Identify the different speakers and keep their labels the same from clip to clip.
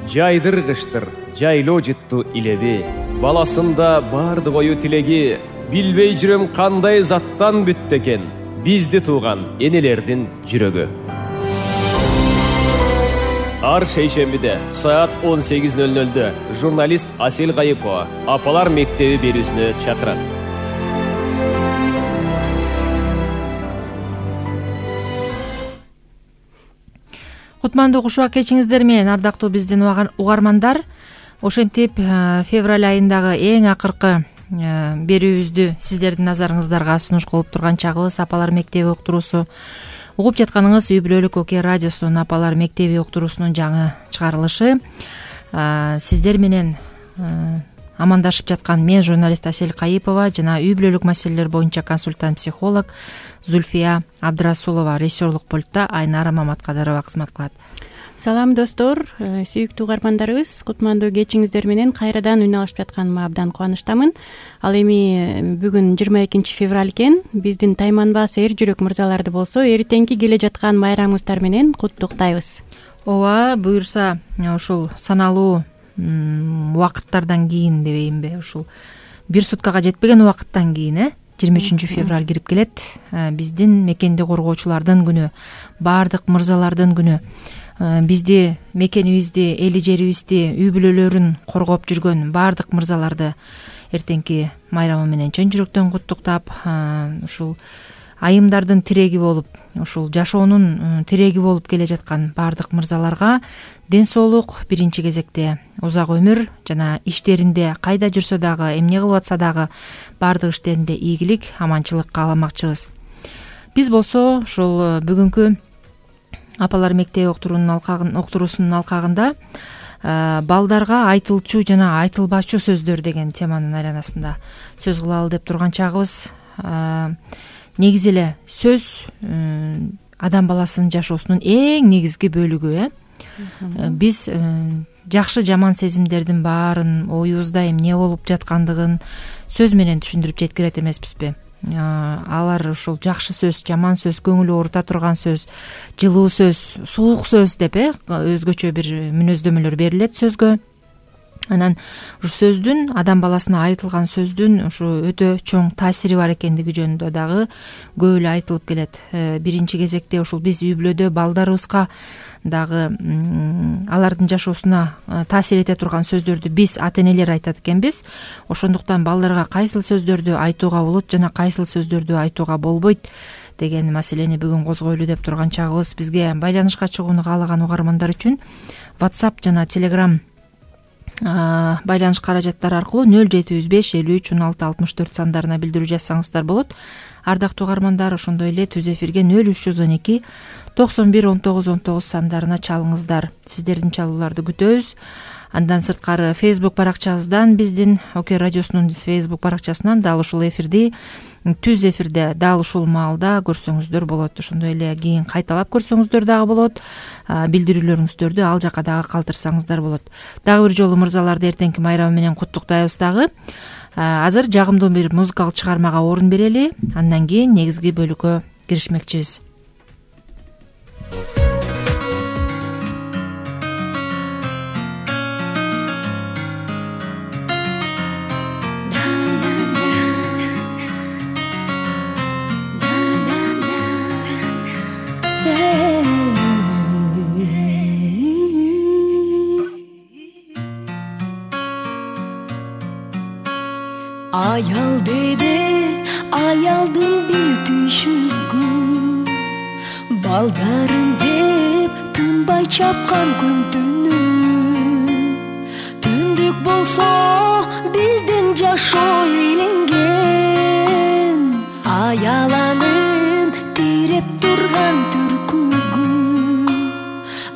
Speaker 1: жайдыргыштыр, жайлоо жытту илеби. Баласында бардык ою тилеги, билбей жүрөм кандай заттан бүттү экен бизди тууган энелердин жүрөгү. Ар шейшембиде саат 18:00 журналист Асел Кайыпова Апалар мектеби берүүсүнө чакырат.
Speaker 2: Кутмандуу кушуак кечиңиздер менен, ардактуу биздин угармандар. Ошентип февраль айындагы эң акыркы берүүбүздү сиздердин назарыңыздарга сунуш кылып турган чагыбыз Апалар мектеби уктуруусу. Угуп жатканыңыз Үй Бүлөлүк Окуя радиосунун Апалар мектеби уктуруусунун жаңы чыгарылышы. Сиздер менен амандашып жаткан мен журналист Асел Кайыпова жана үй бүлөлүк маселелер боюнча консультант психолог Зульфия Абдрасулова, режиссерлук пультта Айнара Маматкадырова кызмат кылат.
Speaker 3: Салам достор, сүйүктүү угармандарыбыз, кутмандуу кечиңиздер менен кайрадан үн алышып жатканыма абдан кубанычтамын. Ал эми бүгүн 22 февраль экен. Биздин тайманбас эр жүрөк мырзаларды болсо эртеңки келе жаткан майрамыңыздар менен куттуктайбыз.
Speaker 2: Ооба, буюрса ушул саналуу убакыттардан кийин дебейинби, ушул бир суткага жетпеген убакыттан кийин 23 февраль кирип келет. Биздин мекенди коргоочулардын күнү, баардык мырзалардын күнү. Бизди, мекенибизди, эли жерибизди, үй бүлөлөрүн коргоп жүргөн баардык мырзаларды эртеңки майрамы менен чын жүрөктөн куттуктап, ушул айымдардын тиреги болуп, ушул жашоонун тиреги болуп келе жаткан баардык мырзаларга ден соолук, биринчи кезекте узак өмүр жана иштеринде кайда жүрсө дагы, эмне кылып атса дагы баардык иштеринде ийгилик, аманчылык кааламакчыбыз. Биз болсо ушул бүгүнкү Апалар мектеби уктуруусунун алкагында балдарга айтылчу жана айтылбачу сөздөр деген теманын айланасында сөз кылалы деп турган чагыбыз. Негизи эле сөз адам баласынын жашоосунун эң негизги бөлүгү. Биз жакшы жаман сезимдердин баарын, оюбузда эмне болуп жаткандыгын сөз менен түшүндүрүп жеткирет эмеспизби? Алар ушул жакшы сөз, жаман сөз, көңүл оорута турган сөз, жылуу сөз, суук сөз деп өзгөчө бир мүнөздөмөлөр берилет сөзгө. Анан ушу сөздүн, адам баласына айтылган сөздүн ушу өтө чоң таасири бар экендиги жөнүндө дагы көп эле айтылып келет. Биринчи кезекте ушул биз үй бүлөдө балдарыбызга дагы алардын жашоосуна таасир эте турган сөздөрдү биз ата энелер айтат экенбиз. Ошондуктан балдарга кайсыл сөздөрдү айтууга болот жана кайсыл сөздөрдү айтууга болбойт деген маселени бүгүн козгойлу деп турган чагыбыз. Бизге байланышка чыгууну каалаган угармандар үчүн WhatsApp жана Telegram байланыш каражаттары аркылуу 0705 53 16 64 сандарына билдирүү жазсаңыздар болот. Ардактуу угармандар, ошондой эле түз эфирге 0312 91 19 19 сандарына чалыңыздар. Сиздердин чалууларды күтөбүз. Андан сырткары Facebook баракчабыздан, биздин Окуя радиосунун Facebook баракчасынан дал ушул эфирди түз эфирде дал ушул маалда көрсөңүздөр болот. Ошондой эле кийин кайталап көрсөңүздөр дагы болот. Билдирүүлөрүңүздөрдү ал жака дагы калтырсаңыздар болот. Дагы бир жолу мырзаларды эртеңки майрамы менен куттуктайбыз дагы. Азыр жагымдуу бир музыкалык чыгармага орун берели. Андан кийин негизги бөлүккө киришмекчибиз.
Speaker 4: Ayal debe, ayaldın bir düşügü Baldarım deb, tınbay çapkan gün tünü Tündük bolsa, bizdin jaşo eylengen Ayalanın, tirep turgan türkügü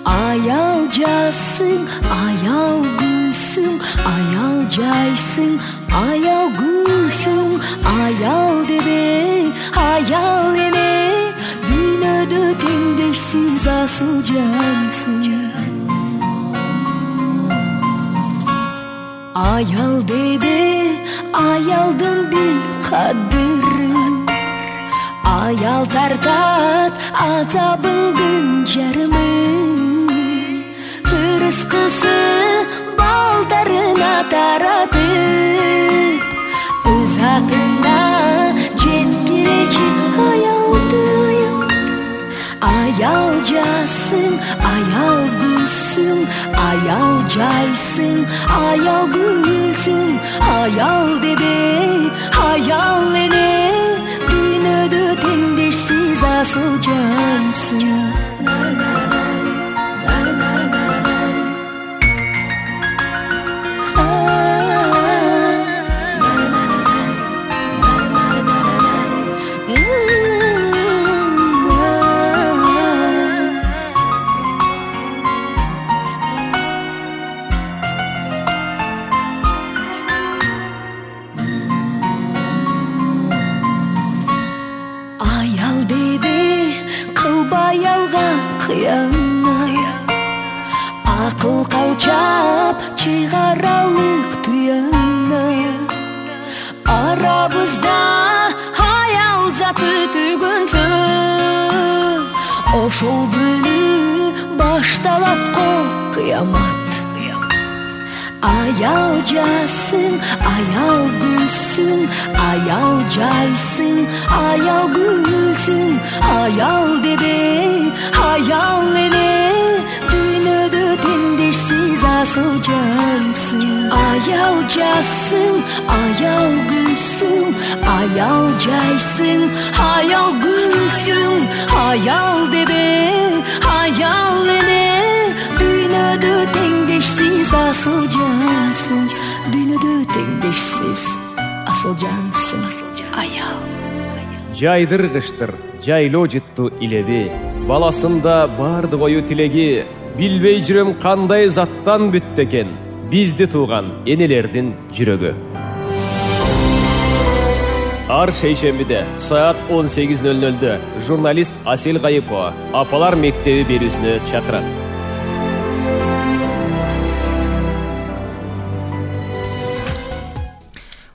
Speaker 4: Ayal jasın, ayal gülsün, ayal jaysın Ayal gülsün, ayal debe, ayal ene Dünyada tengdersiz asıl cansın Ayal debe, ayaldın bil kadırı Ayal tartat azabın gün jarımı мыскысы балдарына таратып ызатына жеткиречи аялды. Аял жассың, аял гүлсүң, аял жайсың, аял гүлсүң, аял дебей, аял эне, дүйнөдө теңдешсиз асыл жансың. Акыл калчап чыгаралык тыяна, арабызда аял заты түгөнсө, ошол күнү башталат го кыямат. Аял жассың, аял гүлсүң, аял жайсың, аял гүлсүң, аял дебей, аял эне, дүйнөдө теңдешсиз асыл жансың. Аял жассың, аял гүлсүң, аял жайсың, аял гүлсүң, аял дебей, аял эне, дүйнөдө теңдешсиз асыл жансың. Дүйнөдө теңдешсиз асыл жансың. Аял
Speaker 1: жайдыр кыштыр, жайлоо жытту илеби, баласында бардык ою тилеги, билбей жүрөм кандай заттан бүттү экен бизди тууган энелердин жүрөгү. Ар шейшембиде саат 18:00 журналист Асел Кайыпова Апалар мектеби берүүсүнө чакырат.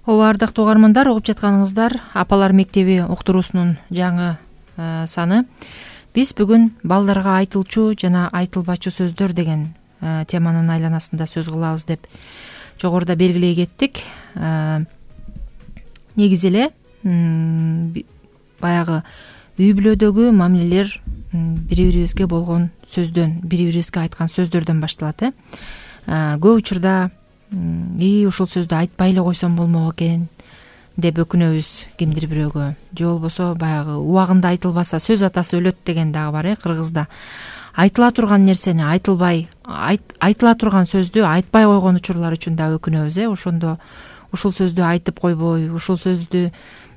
Speaker 2: Ооба, ардактуу угармандар, угуп жатканыңыздар Апалар мектеби уктуруусунун жаңы саны. Биз бүгүн балдарга айтылчу жана айтылбачу сөздөр деген теманын айланасында сөз кылабыз деп жогоруда белгилей кеттик. Негизи эле баягы үй бүлөдөгү мамилелер бири-бирибизге болгон сөздөн, бири-бирибизге айткан сөздөрдөн башталат. Көп учурда ушул сөздү айтпай эле койсом болмок экен деп өкүнөбүз кимдир бирөөгө, же болбосо баягы убагында айтылбаса сөз атасы өлөт деген дагы бар кыргызда. Айтыла турган нерсени айтылбай, айтыла турган сөздү айтпай койгон учурлар үчүн да өкүнөбүз. Ошондо ушул сөздү айтып койбой, ушул сөздү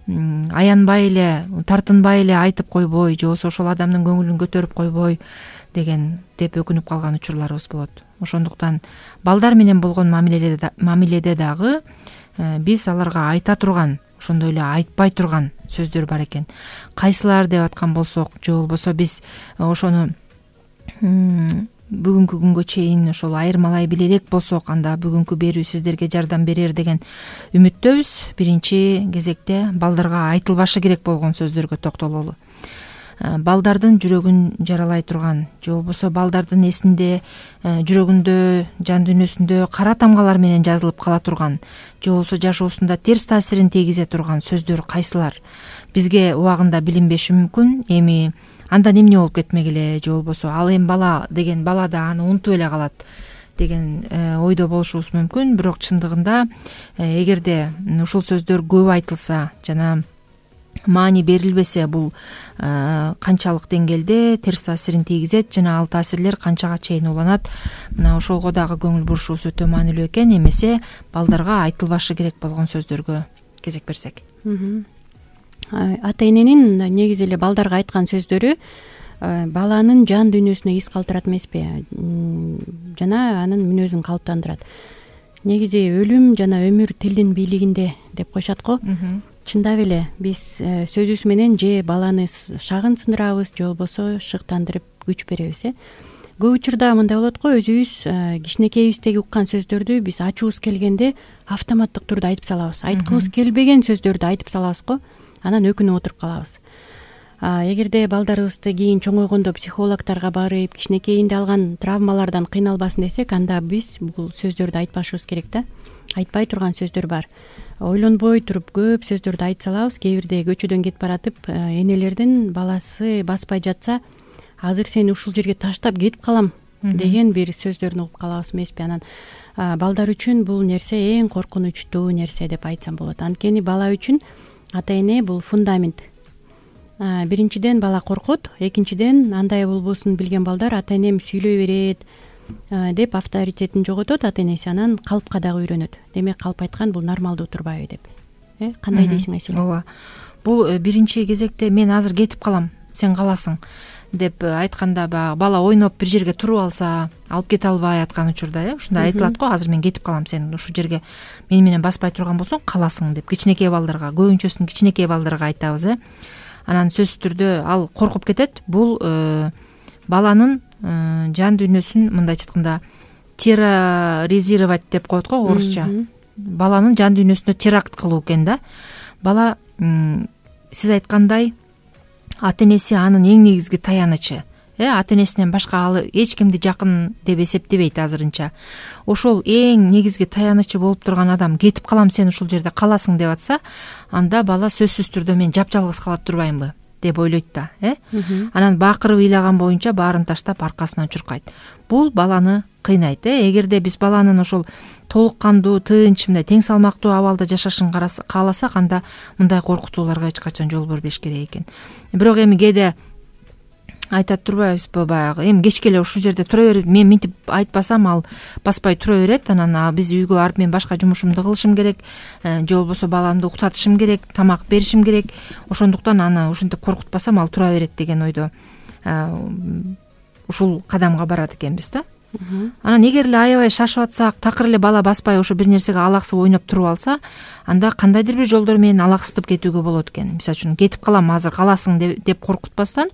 Speaker 2: аянбай эле, тартынбай эле айтып койбой, же болбосо ошол адамдын көңүлүн көтөрүп койбой деген деп өкүнүп калган учурларыбыз болот. Ошондуктан балдар менен болгон мамиледе дагы биз аларга айта турган, ошондой эле айтпай турган сөздөр бар экен. Кайсылар деп аткан болсок, же болбосо биз ошону бүгүнкү күнгө чейин ошол айырмалай биле элек болсок, анда бүгүнкү берүү сиздерге жардам берер деген үмүттөбүз. Биринчи кезекте балдарга айтылбашы керек болгон сөздөргө токтололу. Балдардын жүрөгүн жаралай турган, же болбосо балдардын эсинде, жүрөгүндө, жан дүйнөсүндө кара тамгалар менен жазылып кала турган, же болбосо жашоосунда терс таасирин тийгизе турган сөздөр кайсылар? Бизге убагында билинбеши мүмкүн. Эми андан эмне болуп кетмек эле, же болбосо ал эми бала деген бала да аны унутуп эле калат деген ойдо болушубуз мүмкүн. Бирок чындыгында эгерде ушул сөздөр көп айтылса жана маани берилбесе, бул канчалык деңгээлде терс таасирин тийгизет жана ал таасирлер канчага чейин уланат, мына ошолго дагы көңүл бурушубуз өтө маанилүү экен. Эмесе балдарга айтылбашы керек болгон сөздөргө кезек берсек. Ата
Speaker 3: эненин негизи эле балдарга айткан сөздөрү баланын жан дүйнөсүнө из калтырат эмеспи, жана анын мүнөзүн калыптандырат. Негизи өлүм жана өмүр тилдин бийлигинде деп коюшат го. Чындап эле биз сөзүбүз менен же баланы шагын сындырабыз, же болбосо шыктандырып күч беребиз. Көп учурда мындай болот го, өзүбүз кичинекейибиздеги уккан сөздөрдү биз ачуубуз келгенде автоматтык турда айтып салабыз. Айткыбыз келбеген сөздөрдү айтып салабыз го, анан өкүнүп отуруп калабыз. Эгерде балдарыбызды кийин чоңойгондо психологторго барып кичинекейинде алган травмалардан кыйналбасын десек, анда биз бул сөздөрдү айтпашыбыз керек да. Айтпай турган сөздөр бар. Ойлонбой туруп көп сөздөрдү айтып салабыз. Кээ бирде көчөдөн кетип баратып, энелердин баласы баспай жатса, азыр сени ушул жерге таштап кетип калам деген бир сөздөрүн угуп калабыз эмеспи? Анан балдар үчүн бул нерсе эң коркунучтуу нерсе деп айтсам болот. Анткени бала үчүн ата эне бул фундамент. Биринчиден бала коркот, экинчиден андай болбосун билген балдар ата энем сүйлөй берет деп авторитетин жоготот ата энеси, анан калпка дагы үйрөнөт. Демек калп айткан бул нормалдуу турбайбы деп. Кандай дейсиң Айселя?
Speaker 2: Ооба. Бул биринчи кезекте мен азыр кетип калам, сен каласың деп айтканда баягы бала ойноп бир жерге туруп алса, алып кете албай аткан учурда, ушундай айтылат го, азыр мен кетип калам, сен ушул жерге мени менен баспай турган болсоң каласың деп кичинекей балдарга, көбүнчөсүн кичинекей балдарга айтабыз. Анан сөзсүз түрдө ал коркуп кетет. Бул баланын жан дүйнөсүн мындайча айтканда терроризировать деп коет го орусча. Баланын жан дүйнөсүнө теракт кылуу экен да. Бала сиз айткандай ата энеси анын эң негизги таянычы. Ата энесинен башка ал эч кимди жакын деп эсептебейт азырынча. Ошол эң негизги таянычы болуп турган адам кетип калам, сен ушул жерде каласың деп атса, анда бала сөзсүз түрдө мен жапжалгыз калат турбаймынбы деп ойлойт да. Анан бакырып ыйлаган боюнча баарын таштап аркасынан чуркайт. Бул баланы кыйнайт. Эгерде биз баланын ошол толук кандуу, тынч, мындай тең салмактуу абалда жашашын кааласак, анда мындай коркутууларга эч качан жол бербеш керек экен. Бирок эми кээде айтат турбайбызбы, баягы эми кечке эле ушул жерде тура берип, мен минтип айтпасам ал баспай тура берет, анан биз үйгө барып мен башка жумушумду кылышым керек, же болбосо баламды уктатышым керек, тамак беришим керек, ошондуктан аны ушинтип коркутпасам ал тура берет деген ойдо ушул кадамга барат экенбиз да. Анан эгер эле аябай шашып атсак, такыр эле бала баспай ошо бир нерсеге алаксып ойноп туруп алса, анда кандайдыр бир жолдор менен алаксытып кетүүгө болот экен. Мисалы үчүн кетип калам, азыр каласың деп коркутпастан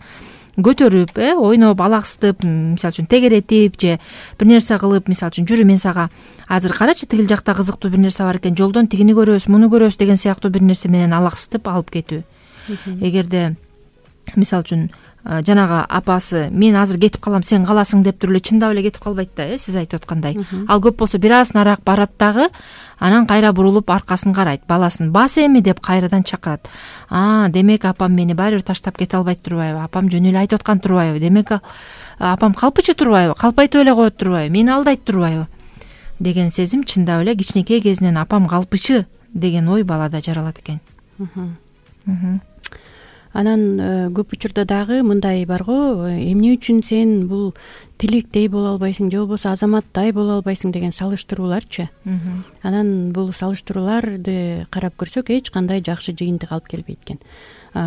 Speaker 2: көтөрүп, ойноп, алаксытып, мисалы үчүн тегеретип же бир нерсе кылып, мисалы үчүн жүрү, мен сага азыр карачы, тигил жакта кызыктуу бир нерсе бар экен, жолдон тигини көрөбүз, муну көрөбүз деген сыяктуу бир нерсе менен алаксытып алып кетүү. Эгерде мисалы үчүн жанагы апасы мен азыр кетип калам, сен каласың деп туруп эле чындап эле кетип калбайт да, сиз айтып аткандай. Ал көп болсо бир аз нарак барат дагы, анан кайра бурулуп аркасын карайт, баласын бас эми деп кайрадан чакырат. Демек апам мени баары бир таштап кете албайт турбайбы, апам жөн эле айтып аткан турбайбы, демек апам калпычы турбайбы, калпайтып эле коет турбайбы, мени алдайт турбайбы деген сезим чындап эле кичинекей кезинен апам калпычы деген ой балада жаралат экен.
Speaker 3: Анан көп учурда дагы мындай бар го, эмне үчүн сен бул тилектей боло албайсың, же болбосо азаматтай боло албайсың деген салыштырууларчы. Анан бул салыштырууларды карап көрсөк, эч кандай жакшы жыйынтык алып келбейт экен.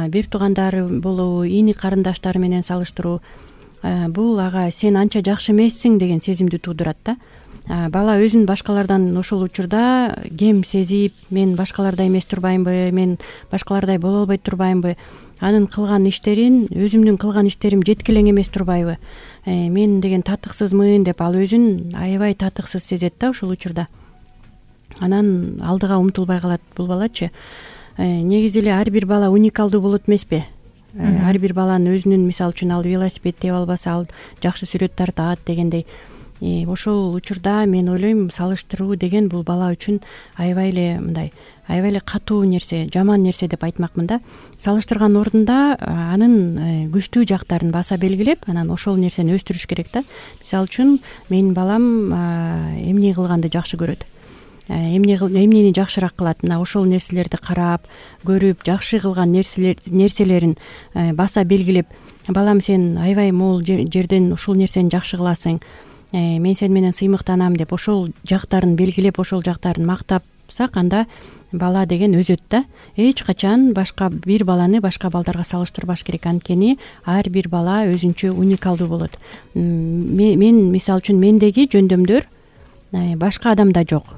Speaker 3: Бир туугандары болобу, ини карындаштары менен салыштыруу, бул ага сен анча жакшы эмессиң деген сезимди туудурат да. Бала өзүн башкалардан ошол учурда кем сезип, мен башкалардай эмес турбаймынбы, мен башкалардай боло албай турбаймынбы, анын кылган иштерин, өзүмдүн кылган иштерим жеткилең эмес турбайбы, мен деген татыксызмын деп ал өзүн аябай татыксыз сезет да ошол учурда. Анан алдыга умтулбай калат бул балачы. Негизи эле ар бир бала уникалдуу болот эмеспи? Ар бир баланын өзүнүн, мисалы үчүн ал велосипед тээп албаса, ал жакшы сүрөт тартат дегендей. Ошол учурда мен ойлойм, салыштыруу деген бул бала үчүн аябай эле мындай, аябай эле катуу нерсе, жаман нерсе деп айтмакмын да. Салыштырган ордунда анын күчтүү жактарын баса белгилеп, анан ошол нерсени өстүрүш керек да. Мисалы үчүн менин балам эмне кылганды жакшы көрөт, эмнени жакшыраак кылат, мына ошол нерселерди карап, көрүп, жакшы кылган нерселерин баса белгилеп, балам сен аябай могул жерден ушул нерсени жакшы кыласың, мен сени менен сыймыктанам деп ошол жактарын белгилеп, ошол жактарын мактапсак, анда бала деген өзөт да. Эч качан башка бир баланы башка балдарга салыштырбаш керек, анткени ар бир бала өзүнчө уникалдуу болот. Мен мисалы үчүн мендеги жөндөмдөр башка адамда жок.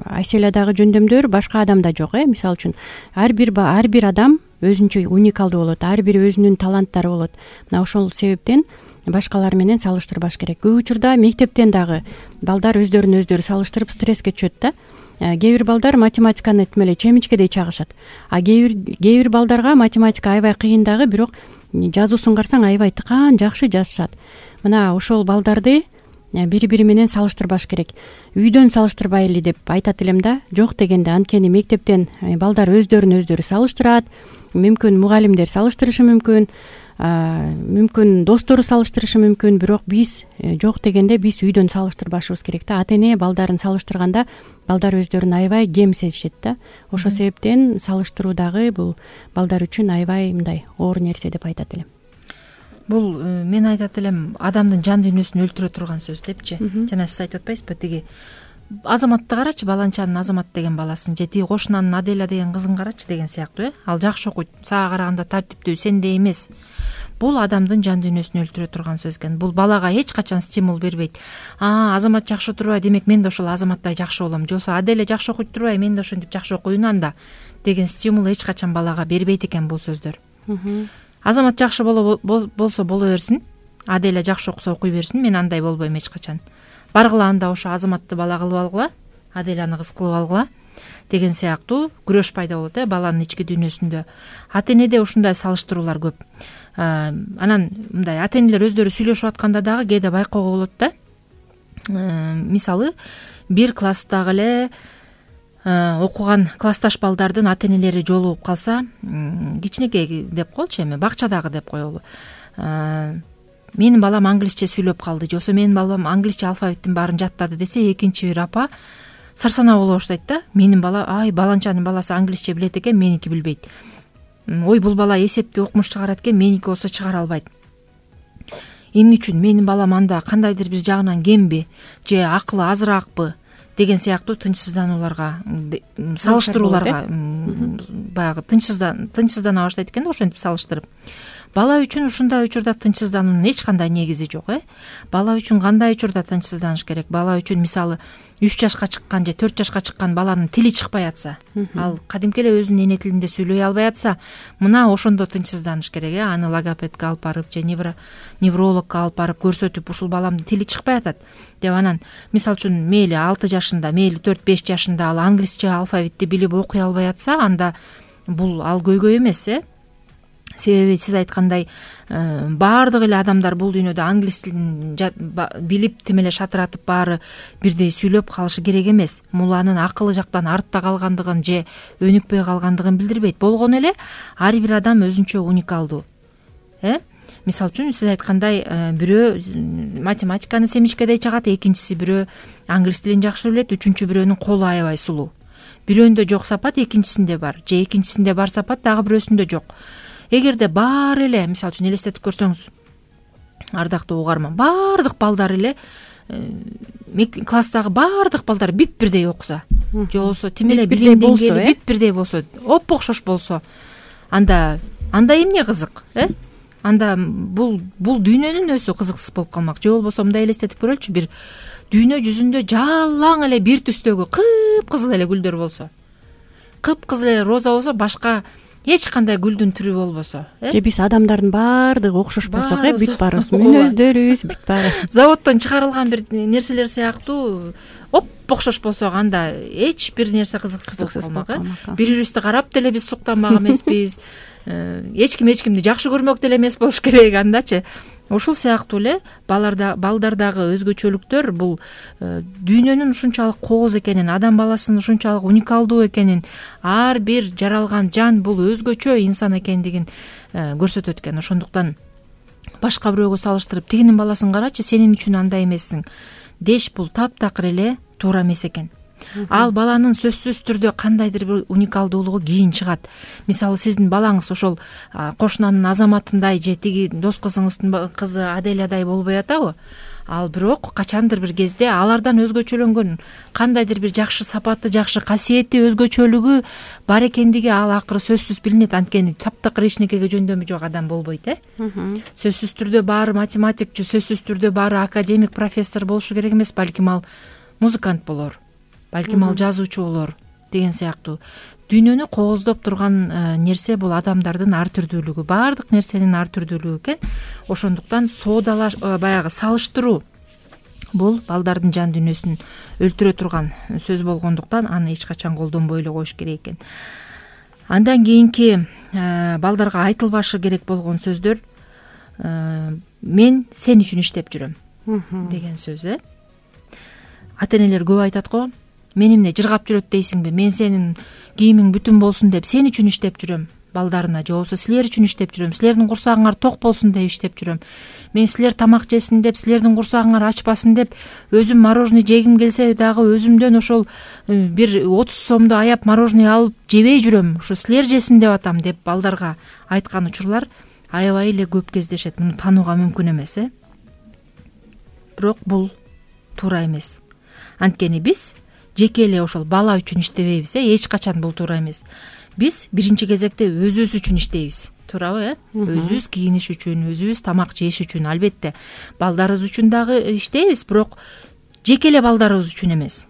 Speaker 3: Айселядагы жөндөмдөр башка адамда жок. Мисалы үчүн ар бир адам өзүнчө уникалдуу болот, ар бири өзүнүн таланттары болот. Мына ошол себептен башкалар менен салыштырбаш керек. Көп учурда мектептен дагы балдар өздөрүн өздөрү салыштырып стресске түшөт да. кээ бир балдар математиканы тим эле чемичкедей чагышат, а кээ бир балдарга математика аябай кыйын дагы, бирок жазуусун карасаң аябай тыкаан жакшы жазышат. Мына ошол балдарды бири бири менен салыштырбаш керек. Үйдөн салыштырбайлы деп айтат элем да. Жок дегенде, анткени мектептен балдар өздөрүн өздөрү салыштырат, мүмкүн мугалимдер салыштырышы мүмкүн, мүмкүн достору салыштырышы мүмкүн, бирок биз жок дегенде биз үйдөн салыштырбашыбыз керек да. Ата эне балдарын салыштырганда балдар өздөрүн аябай кем сезишет да. Ошол себептен салыштыруу дагы бул балдар үчүн аябай мындай оор нерсе деп айтат элем.
Speaker 2: Бул мен айтат элем адамдын жан дүйнөсүн өлтүрө турган сөз депчи. Жана сиз айтып атпайсызбы, тиги Азаматты карачы, баланчанын Азамат деген баласын, же тиги кошунанын Аделя деген кызын карачы деген сыяктуу. Ал жакшы окуйт, сага караганда тартиптүү, сендей эмес. Бул адамдын жан дүйнөсүн өлтүрө турган сөз экен. Бул балага эч качан стимул бербейт. Азамат жакшы турбай, демек мен да ошол Азаматтай жакшы болом. Же болбосо Аделя жакшы окуйт турбай, мен да ошентип жакшы окуйн анда деген стимул эч качан балага бербейт экен бул сөздөр. Азамат жакшы болсо боло берсин, Аделя жакшы окуса окуй берсин, мен андай болбойм эч качан. Баргыла анда ошо Азаматты бала кылып алгыла, Аделяны кыз кылып алгыла деген сыяктуу күрөш пайда болот баланын ички дүйнөсүндө. Ата энеде ушундай салыштыруулар көп. Анан мындай ата энелер өздөрү сүйлөшүп атканда дагы кээде байкоого болот да. Мисалы, бир класстагы эле окуган классташ балдардын ата энелери жолугуп калса, кичинекей деп коелучу, эми бакчадагы деп коелу. Менин балам англисче сүйлөп калды, же болбосо менин балам англисче алфавиттин баарын жаттады десе, экинчи бир апа сарсанаа боло баштайт да. Менин бала, баланчанын баласы англисче билет экен, меники билбейт. Ой, бул бала эсепти укмуш чыгарат экен, меники болсо чыгара албайт. Эмне үчүн менин балам анда кандайдыр бир жагынан кемби, же акылы азыраакпы деген сыяктуу тынчсызданууларга, салыштырууларга баягы тынчсыздана баштайт экен да, ошентип салыштырып. Бала үчүн ушундай учурда тынчсыздануунун эч кандай негизи жок. Бала үчүн кандай учурда тынчсызданыш керек? Бала үчүн мисалы 3 жашка чыккан же 4 жашка чыккан баланын тили чыкпай атса, ал кадимки эле өзүнүн эне тилинде сүйлөй албай атса, мына ошондо тынчсызданыш керек. Аны логопедке алып барып же неврологко алып барып көрсөтүп, ушул баламдын тили чыкпай атат деп, анан мисалы үчүн мейли 6 жашында, мейли 4-5 жашында ал англисче алфавитти билип окуй албай атса, анда бул ал көйгөй эмес. Себеби сиз айткандай баардык эле адамдар бул дүйнөдө англис тилин билип тим эле шатыратып баары бирдей сүйлөп калышы керек эмес. Муланын акылы жактан артта калгандыгын же өнүкпөй калгандыгын билдирбейт. Болгону эле ар бир адам өзүнчө уникалдуу. Мисалы үчүн сиз айткандай бирөө математиканы семичкедей чагат, экинчиси бирөө англис тилин жакшы билет, үчүнчү бирөөнүн колу аябай сулуу. Бирөөндө жок сапат экинчисинде бар, же экинчисинде бар сапат дагы бирөөсүндө жок. Эгерде баары эле, мисалы үчүн элестетип көрсөңүз, ардактуу угарман, баардык балдар эле класстагы баардык балдар бип-бирдей окуса, же болбосо тим эле билим деңгээли бип-бирдей болсо, оп-окшош болсо, анда эмне кызык? Анда бул дүйнөнүн өзү кызыксыз болуп калмак. Же болбосо мындай элестетип көрөлүчү, бир дүйнө жүзүндө жалаң эле бир түстөгү кыпкызыл эле гүлдөр болсо, кыпкызыл эле роза болсо, башка эч кандай гүлдүн түрү болбосо,
Speaker 3: же биз адамдардын баардыгы окшош болсок, бүт баарыбыз мүнөздөрүбүз бүт баары
Speaker 2: заводдон чыгарылган бир нерселер сыяктуу оп-окшош болсок, анда эч бир нерсе кызыксыз болуп калмак. Бири-бирибизди карап деле биз суктанмак эмеспиз. Эч ким эч кимди жакшы көрмөк деле эмес болуш керек андачы. Ушул сыяктуу эле балдардагы өзгөчөлүктөр бул дүйнөнүн ушунчалык кооз экенин, адам баласынын ушунчалык уникалдуу экенин, ар бир жаралган жан бул өзгөчө инсан экендигин көрсөтөт экен. Ошондуктан башка бирөөгө салыштырып, тигинин баласын карачы, сенин үчүн андай эмессиң деш, бул таптакыр эле туура эмес экен. Ал баланын сөзсүз түрдө кандайдыр бир уникалдуулугу кийин чыгат. Мисалы, сиздин балаңыз ошол кошунанын Азаматындай же тиги дос кызыңыздын кызы Аделядай болбой атабы? Ал бирок качандыр бир кезде алардан өзгөчөлөнгөн кандайдыр бир жакшы сапаты, жакшы касиети, өзгөчөлүгү бар экендиги ал акыры сөзсүз билинет. Анткени таптакыр эчнекеге жөндөмү жок адам болбойт. Сөзсүз түрдө баары математик же сөзсүз түрдө баары академик, профессор болушу керек эмес. Балким ал музыкант болор, балким ал жазуучу болор деген сыяктуу. Дүйнөнү кооздоп турган нерсе бул адамдардын ар түрдүүлүгү, баардык нерсенин ар түрдүүлүгү экен. Ошондуктан баягы салыштыруу бул балдардын жан дүйнөсүн өлтүрө турган сөз болгондуктан аны эч качан колдонбой эле коюш керек экен. Андан кийинки балдарга айтылбашы керек болгон сөздөр мен сен үчүн иштеп жүрөм деген сөз. Ата энелер көп айтат го, мени эмне жыргап жүрөт дейсиңби, мен сенин кийимиң бүтүн болсун деп сен үчүн иштеп жүрөм балдарына, же болбосо силер үчүн иштеп жүрөм, силердин курсагыңар ток болсун деп иштеп жүрөм, мен силер тамак жесин деп, силердин курсагыңар ачпасын деп өзүм мороженое жегим келсе дагы өзүмдөн ошол бир 30 сомду аяп мороженое алып жебей жүрөм, ушу силер жесин деп атам деп балдарга айткан учурлар аябай эле көп кездешет. Муну таанууга мүмкүн эмес. Бирок бул туура эмес. Анткени биз жеке эле ошол бала үчүн иштебейбиз. Эч качан бул туура эмес. Биз биринчи кезекте өзүбүз үчүн иштейбиз, туурабы? Өзүбүз кийиниш үчүн, өзүбүз тамак жеш үчүн, албетте балдарыбыз үчүн дагы иштейбиз, бирок жеке эле балдарыбыз үчүн эмес.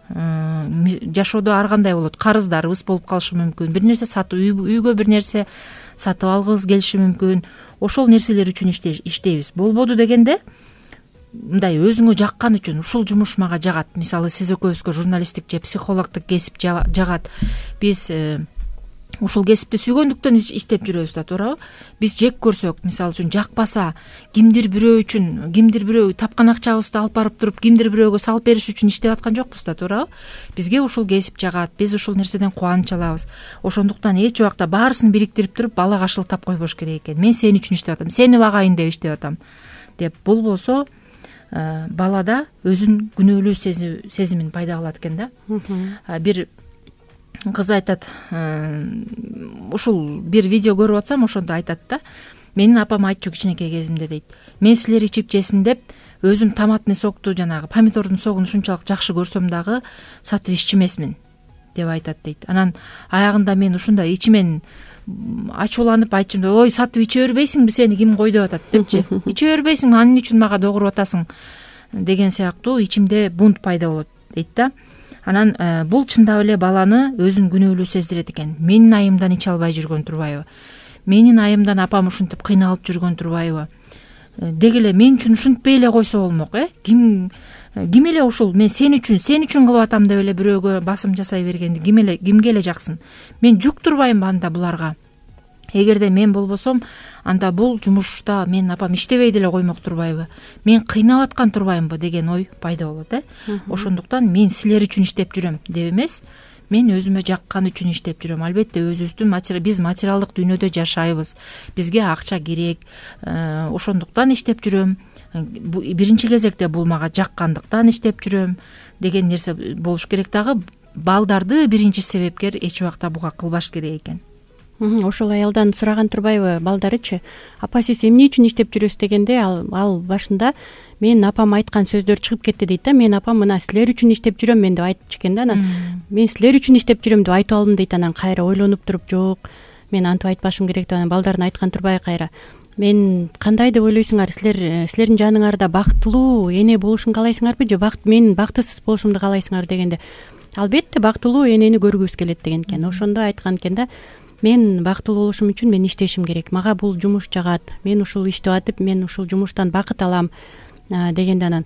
Speaker 2: Жашоодо ар кандай болот, карыздарыбыз болуп калышы мүмкүн, бир нерсе сатып, үйгө бир нерсе сатып алгыбыз келиши мүмкүн, ошол нерселер үчүн иштейбиз. Болбоду дегенде мындай өзүңө жаккан үчүн, ушул жумуш мага жагат, мисалы сиз экөөбүзгө журналисттик же психологдук кесип жагат, биз ушул кесипти сүйгөндүктөн иштеп жүрөбүз да, туурабы? Биз жек көрсөк, мисалы үчүн жакпаса, кимдир бирөө үчүн, кимдир бирөө тапкан акчабызды алып барып туруп, кимдир бирөөгө салып бериш үчүн иштеп аткан жокпуз да, туурабы? Бизге ушул кесип жагат, биз ушул нерседен кубаныч алабыз. Ошондуктан эч убакта баарысын бириктирип туруп балага шылтап койбош керек экен. Мен сен үчүн иштеп атам, сени багайын деп иштеп атам деп. Бул болсо балада өзүн күнөөлүү сезимин пайда кылат экен да. Бир кыз айтат, ушул бир видео көрүп атсам, ошондо айтат да, менин апам айтчу кичинекей кезимде дейт, мен силер ичип жесин деп өзүм томатный сокту, жанагы помидордун согун ушунчалык жакшы көрсөм дагы сатып иччимесмин деп айтат дейт. Анан аягында мен ушундай ичимен ачууланып айтчумун, ой, сатып иче бербейсиңби, сени ким кой деп атат депчи. Иче бербейсиңби, анын үчүн мага догуруп атасың деген сыяктуу ичимде бунт пайда болот дейт да. Анан бул чындап эле баланы өзүн күнөөлүү сездирет экен. Менин айымдан иче албай жүргөн турбайбы? Менин айымдан апам ушинтип кыйналып жүргөн турбайбы? Деги эле мен үчүн ушинтпей эле койсо болмок, Ким эле ушул мен сен үчүн кылып атам деп эле бирөөгө басым жасай бергенди кимге эле жаксын? Мен жүк турбаймынбы анда буларга? Эгерде мен болбосом, анда бул жумушта менин апам иштебей деле коймок турбайбы? Мен кыйналып аткан турбаймынбы деген ой пайда болот. Ошондуктан мен силер үчүн иштеп жүрөм деп эмес, мен өзүмө жаккан үчүн иштеп жүрөм. Албетте өзүбүздүн биз материалдык дүйнөдө жашайбыз, бизге акча керек, ошондуктан иштеп жүрөм. Биринчи кезекте бул мага жаккандыктан иштеп жүрөм деген нерсе болуш керек. Дагы балдарды биринчи себепкер эч убакта буга кылбаш керек экен.
Speaker 3: Ошол аялдан сураган турбайбы балдарычы, апа сиз эмне үчүн иштеп жүрөсүз дегенде ал башында менин апам айткан сөздөр чыгып кетти дейт да. Менин апам мына силер үчүн иштеп жүрөм мен деп айтчу экен да. Анан мен силер үчүн иштеп жүрөм деп айтып алдым дейт. Анан кайра ойлонуп туруп, жок, мен антип айтпашым керек деп анан балдарын айткан турбайбы кайра. Мен кандай деп ойлойсуңар, силердин жаныңарда бактылуу эне болушун каалайсыңарбы же мен бактысыз болушумду каалайсыңар дегенде, албетте бактылуу энени көргүбүз келет деген экен. Ошондо айткан экен да, мен бактылуу болушум үчүн мен иштешим керек, мага бул жумуш жагат, мен ушул иштеп атып, мен ушул жумуштан бакыт алам дегенде анан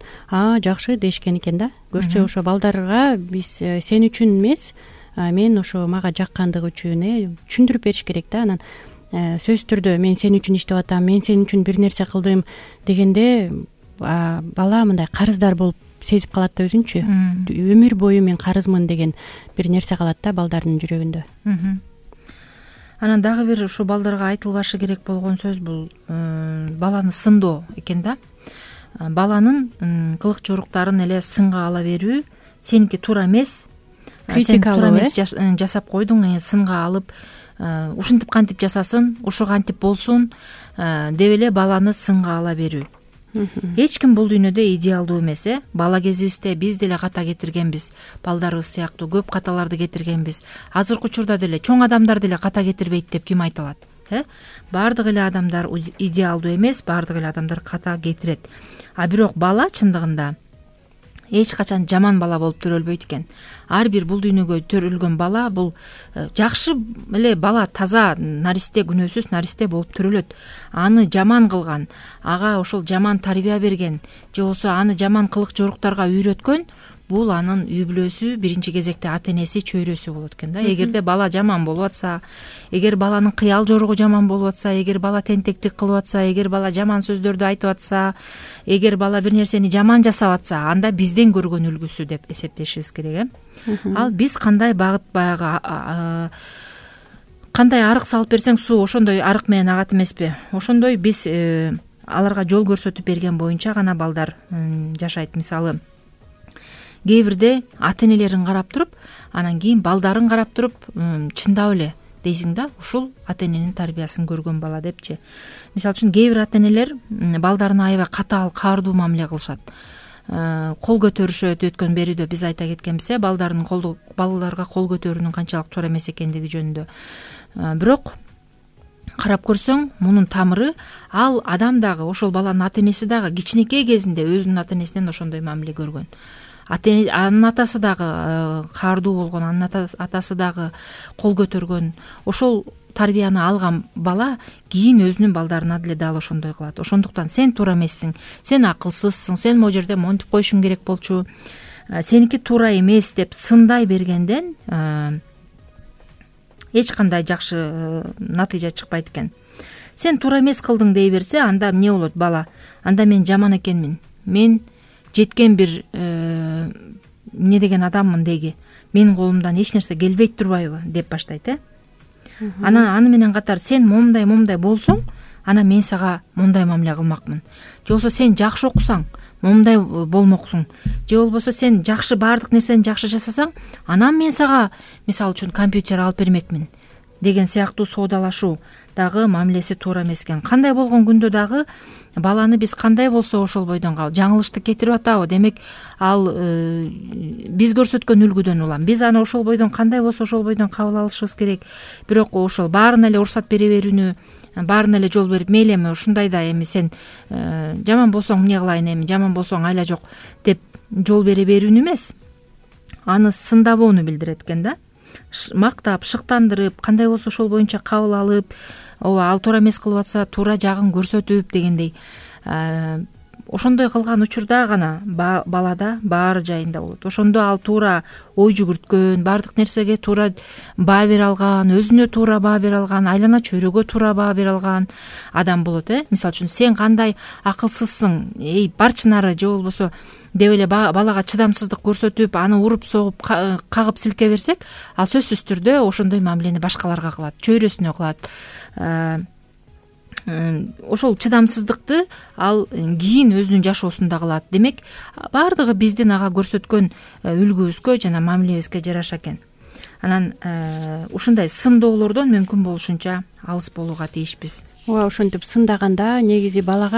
Speaker 3: жакшы дешкен экен да. Көрсө ошо балдарга биз сен үчүн эмес, мен ошо мага жаккандыгы үчүн түшүндүрүп бериш керек да. Анан сөзсүз түрдө мен сен үчүн иштеп атам, мен сен үчүн бир нерсе кылдым дегенде бала мындай карыздар болуп сезип калат да өзүнчү. Өмүр бою мен карызмын деген бир нерсе калат да балдардын жүрөгүндө.
Speaker 2: Анан дагы бир ушу балдарга айтылбашы керек болгон сөз бул баланы сындоо экен да. Баланын кылык жоруктарын эле сынга ала берүү, сеники туура эмес, критикалуу жасап койдуң, сынга алып ушинтип кантип жасасын, ушу кантип болсун деп эле баланы сынга ала берүү. Эч ким бул дүйнөдө идеалдуу эмес. Бала кезибизде биз деле ката кетиргенбиз, балдарыбыз сыяктуу көп каталарды кетиргенбиз. Азыркы учурда деле чоң адамдар деле ката кетирбейт деп ким айта алат? Баардык эле адамдар идеалдуу эмес, баардык эле адамдар ката кетирет. Бирок бала чындыгында эч качан жаман бала болуп төрөлбөйт экен. Ар бир бул дүйнөгө төрөлгөн бала бул жакшы эле бала, таза наристе, күнөөсүз наристе болуп төрөлөт. Аны жаман кылган, ага ошол жаман тарбия берген же болбосо аны жаман кылык жоруктарга үйрөткөн бул анын үй бүлөсү, биринчи кезекте ата энеси, чөйрөсү болот экен да. Эгерде бала жаман болуп атса, эгер баланын кыял жоругу жаман болуп атса, эгер бала тентектик кылып атса, эгер бала жаман сөздөрдү айтып атса, эгер бала бир нерсени жаман жасап атса, анда бизден көргөн үлгүсү деп эсептешибиз керек. Ал биз кандай багыт, баягы кандай арык салып берсең суу ошондой арык менен агат эмеспи? Ошондой биз аларга жол көрсөтүп берген боюнча гана балдар жашайт. Мисалы, кээ бирде ата энелерин карап туруп, анан кийин балдарын карап туруп, чындап эле дейсиң да, ушул ата эненин тарбиясын көргөн бала депчи. Мисалы үчүн кээ бир ата энелер балдарына аябай катаал, каардуу мамиле кылышат. Кол көтөрүшөт. Өткөн берүүдө биз айта кеткенбиз, балдарга кол көтөрүүнүн канчалык туура эмес экендиги жөнүндө. Бирок карап көрсөң, мунун тамыры ал адам дагы, ошол баланын ата энеси дагы кичинекей кезинде өзүнүн ата энесинен ошондой мамиле көргөн. Анын атасы дагы каардуу болгон, анын атасы дагы кол көтөргөн. Ошол тарбияны алган бала кийин өзүнүн балдарына деле дал ошондой кылат. Ошондуктан сен туура эмессиң, сен акылсызсың, сен могу жерде монтип коюшуң керек болчу, сеники туура эмес деп сындай бергенден эч кандай жакшы натыйжа чыкпайт экен. Сен туура эмес кылдың дей берсе, анда эмне болот бала? Анда мен жаман экенмин, мен жеткен бир эмне деген адаммын деги, менин колумдан эч нерсе келбейт турбайбы деп баштайт. Анан аны менен катар сен момундай болсоң, анан мен сага мондай мамиле кылмакмын. Же болбосо сен жакшы окусаң, момундай болмоксуң. Же болбосо сен жакшы, баардык нерсени жакшы жасасаң, анан мен сага мисалы үчүн компьютер алып бермекмин деген сыяктуу соодалашуу дагы мамилеси туура эмес экен. Кандай болгон күндө дагы баланы биз кандай болсо ошол бойдон жаңылышты кетирип атабы. Демек ал биз көрсөткөн үлгүдөн улам. Биз аны ошол бойдон кандай болсо ошол бойдон кабыл алышыбыз керек. Бирок ошол баарына эле уруксат бере берүүнү, баарына эле жол берип, мейли эми ушундайда эми сен жаман болсоң эмне кылайын, эми жаман болсоң айла жок деп жол бере берүүнү эмес, аны сындабоону билдирет экен да. Мактап, шыктандырып, кандай болсо ошол боюнча кабыл алып, ооба ал туура эмес кылып атса туура жагын көрсөтүп дегендей. Ошондой кылган учурда гана балада баары жайында болот. Ошондо ал туура ой жүгүрткөн, баардык нерсеге туура баа бере алган, өзүнө туура баа бере алган, айлана чөйрөгө туура баа бере алган адам болот. Мисалы үчүн сен кандай акылсызсың, барчы нары, же болбосо деп эле балага чыдамсыздык көрсөтүп, аны уруп согуп, кагып силке берсек, ал сөзсүз түрдө ошондой мамилени башкаларга кылат, чөйрөсүнө кылат. Ошол чыдамсыздыкты ал кийин өзүнүн жашоосунда кылат. Демек, баардыгы биздин ага көрсөткөн үлгүбүзгө жана мамилебизге жараша экен. Анан ушундай сындоолордон мүмкүн болушунча алыс болууга тийишпиз.
Speaker 3: Ооба, ошентип сындаганда негизи бала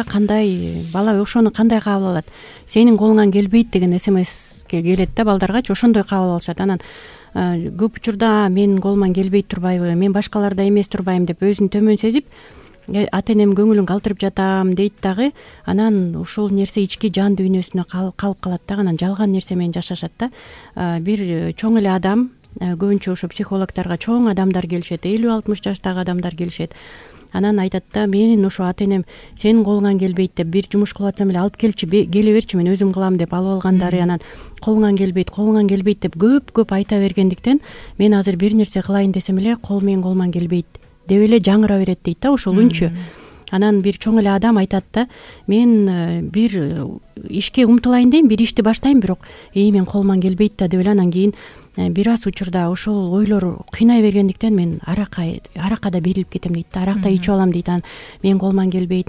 Speaker 3: ошону кандай кабыл алат? Сенин колуңан келбейт деген СМСке келет да балдаргачы, ошондой кабыл алышат. Анан көп учурда менин колуман келбей турбайбы, мен башкалардай эмес турбайбым деп өзүн төмөн сезип, ата энем көңүлүн калтырып жатам дейт дагы. Анан ушул нерсе ички жан дүйнөсүнө калып калат да, анан жалган нерсе менен жашашат да. Бир чоң эле адам, көбүнчө ошо психологторго чоң адамдар келишет, 50-60 жаштагы адамдар келишет. Анан айтат да, менин ошо ата энем сенин колуңан келбейт деп, бир жумуш кылып атсам эле алып келчи, келе берчи, мен өзүм кылам деп алып алгандары, анан колуңан келбейт деп көп айта бергендиктен, мен азыр бир нерсе кылайын десем эле менин колуман келбейт деп эле жаңыра берет дейт да, ошол үнчү. Анан бир чоң эле адам айтат да, мен бир ишке умтулайын дейм, бир ишти баштайм, бирок мен колуман келбейт да деп эле анан кийин бир аз учурда ошол ойлор кыйнай бергендиктен мен аракка да берилип кетем дейт да, аракта ичип алам дейт. Анан мен колуман келбейт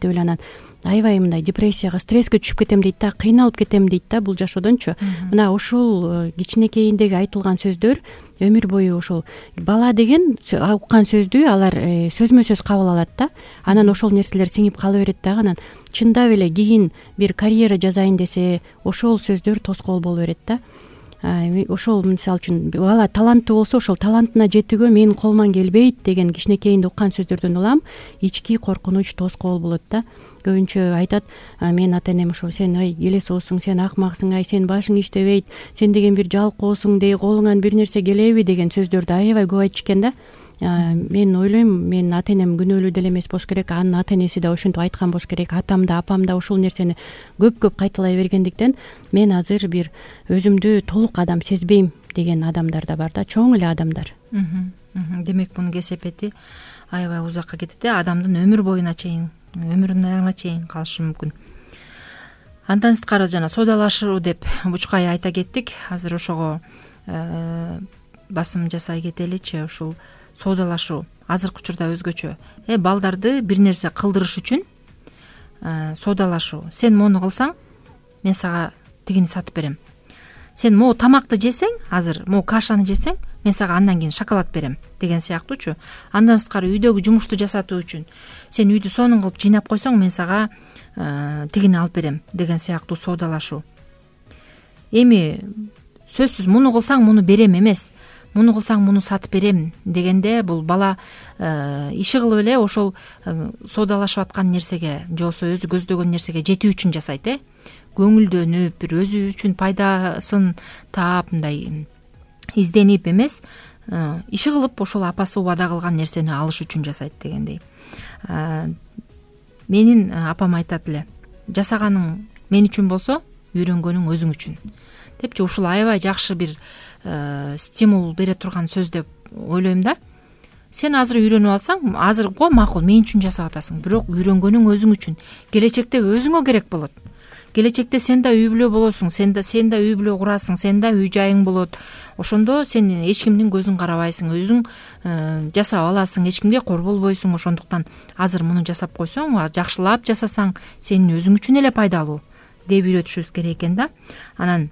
Speaker 3: деп эле анан аябай мындай депрессияга, стресске түшүп кетем дейт да, кыйналып кетем дейт да бул жашоодончу. Мына ошол кичинекейиндеги айтылган сөздөр өмүр бою ошол бала деген уккан сөздү алар сөзмө сөз кабыл алат да. Анан ошол нерселер сиңип кала берет дагы. Анан чындап эле кийин бир карьера жасайын десе ошол сөздөр тоскоол боло берет да. Ошол мисалы үчүн бала таланттуу болсо, ошол талантына жетүүгө менин колуман келбейт деген кичинекейинде уккан сөздөрдөн улам ички коркунуч, тоскоол болот да. көбүнчө айтат, менин ата энем ошо сен ай элесоосуң, сен акмаксың, ай сен башың иштебейт, сен деген бир жалкоосуң, деги колуңан бир нерсе келеби деген сөздөрдү аябай көп айтчу экен да. Мен ойлойм, менин ата энем күнөөлүү деле эмес болуш керек, анын ата энеси да ошентип айткан болуш керек, атам да апам да ушул нерсени көп кайталай бергендиктен мен азыр бир өзүмдү толук адам сезбейм деген адамдар да бар да, чоң эле адамдар.
Speaker 2: Демек мунун кесепети аябай узакка кетет, адамдын өмүр боюна чейин, өмүрүнүн аягына чейин калышы мүмкүн. Андан сырткары жана соодалашуу деп бучкай айта кеттик. Азыр ошого басым жасай кетеличи. Ушул соодалашуу азыркы учурда өзгөчө. Балдарды бир нерсе кылдырыш үчүн соодалашуу. Сен мону кылсаң, мен сага тигини сатып берем. Сен могу тамакты жесең, азыр могу кашаны жесең, мен сага андан кийин шоколад берем деген сыяктуучу. Андан сырткары үйдөгү жумушту жасатуу үчүн сен үйдү сонун кылып жыйнап койсоң, мен сага тигини алып берем деген сыяктуу соодалашуу. Эми сөзсүз муну кылсаң муну берем эмес, муну кылсаң муну сатып берем дегенде бул бала иши кылып эле ошол соодалашып аткан нерсеге же болбосо өзү көздөгөн нерсеге жетүү үчүн жасайт. Көңүлдөнүп, бир өзү үчүн пайдасын таап, мындай изденип эмес, иши кылып ошол апасы убада кылган нерсени алыш үчүн жасайт дегендей. Менин апам айтат эле, жасаганың мен үчүн болсо, үйрөнгөнүң өзүң үчүн депчи. Ушул аябай жакшы бир стимул бере турган сөз деп ойлойм да. Сен азыр үйрөнүп алсаң, азырго макул мен үчүн жасап атасың, бирок үйрөнгөнүң өзүң үчүн. Келечекте өзүңө керек болот. Келечекте сен да үй бүлө болосуң, сен да үй бүлө курасың, сен да үй жайың болот. Ошондо сен эч кимдин көзүн карабайсың, өзүң жасап аласың, эч кимге кор болбойсуң. Ошондуктан азыр муну жасап койсоң, жакшылап жасасаң, сенин өзүң үчүн эле пайдалуу деп үйрөтүшүбүз керек экен да. Анан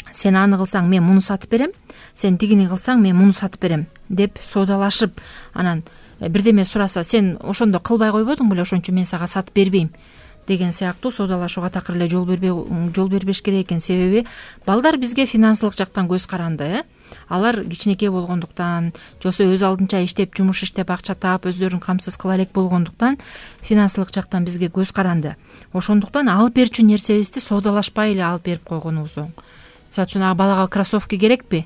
Speaker 2: сен аны кылсаң мен муну сатып берем, сен тигини кылсаң мен муну сатып берем деп соодалашып, анан бирдеме сураса сен ошондо кылбай койбодуң беле, ошон үчүн мен сага сатып бербейм деген сыяктуу соодалашууга такыр эле жол бербеш керек экен. Себеби балдар бизге финансылык жактан көз каранды. Алар кичинекей болгондуктан, же болбосо өз алдынча иштеп, жумуш иштеп, акча таап, өздөрүн камсыз кыла элек болгондуктан финансылык жактан бизге көз каранды. Ошондуктан алып берчү нерсебизди соодалашпай эле алып берип койгонубуз оң. Мисалы үчүн балага кроссовки керекпи?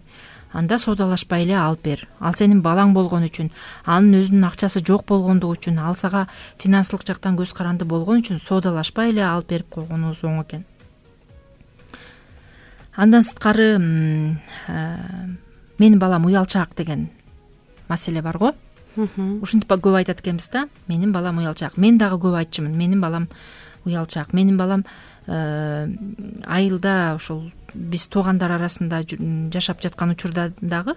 Speaker 2: Анда соодалашпай эле алып бер. Ал сенин балаң болгон үчүн, анын өзүнүн акчасы жок болгондугу үчүн, ал сага финансылык жактан көз каранды болгон үчүн соодалашпай эле алып берип койгонубуз оң экен. Андан сырткары менин балам уялчаак деген маселе бар го. Ушинтип көп айтат экенбиз да. Менин балам уялчаак. Мен дагы көп айтчумун. Менин балам уялчаак. Менин балам айылда ошол биз туугандар арасында жашап жаткан учурда дагы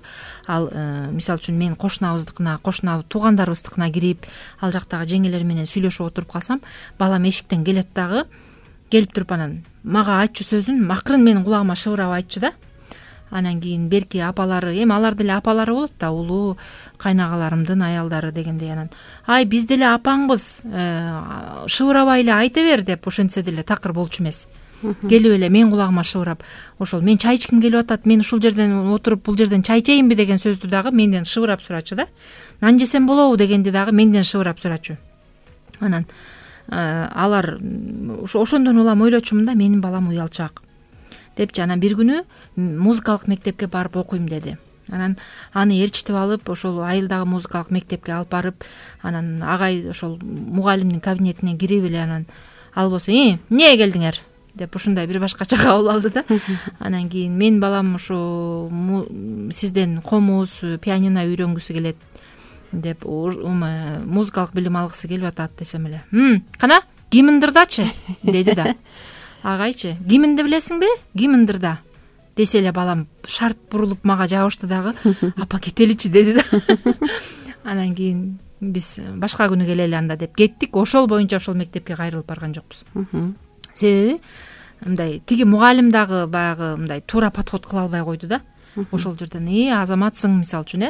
Speaker 2: ал мисалы үчүн мен кошунабыздыкына, туугандарыбыздыкына кирип, ал жактагы жеңелер менен сүйлөшүп отуруп калсам, балам эшиктен келет дагы, келип туруп анан мага айтчу сөзүн макрын менин кулагыма шыбырап айтчу да. Анан кийин берки апалары, эми алар деле апалары болот да, улуу кайнагаларымдын аялдары дегендей, анан ай биз деле апаңбыз, шыбырабай эле айта бер деп ошентсе деле такыр болчу эмес. Келип эле мен кулагыма шыбырап, ошол мен чай ичким келип атат, мен ушул жерден отуруп бул жерден чай ичейинби деген сөздү дагы менден шыбырап сурачу да. Нан жесем болобу дегенди дагы менден шыбырап сурачу. Анан алар ошондон улам ойлочумун да, менин балам уялчаак депчи. Анан бир күнү музыкалык мектепке барып окуйм деди. Анан аны ээрчитип алып, ошол айылдагы музыкалык мектепке алып барып, анан агай ошол мугалимдин кабинетине кирип эле, анан ал болсо эмне келдиңер деп ушундай бир башкача кабыл алды да. Анан кийин менин балам ушу сизден комуз, пианино үйрөнгүсү келет деп, музыкалык билим алгысы келип атат десем эле, кана гимндырдачы деди да. Агайчы, гимнди билесиңби? Гимндырда десе эле балам шарт бурулуп мага жабышты дагы, апа кетеличи деди да. Анан кийин биз башка күнү келели анда деп кеттик. Ошол боюнча ошол мектепке кайрылып барган жокпуз. Себеби мындай тиги мугалим дагы баягы мындай туура подход кыла албай койду да. Ошол жерден азаматсың мисалы үчүн,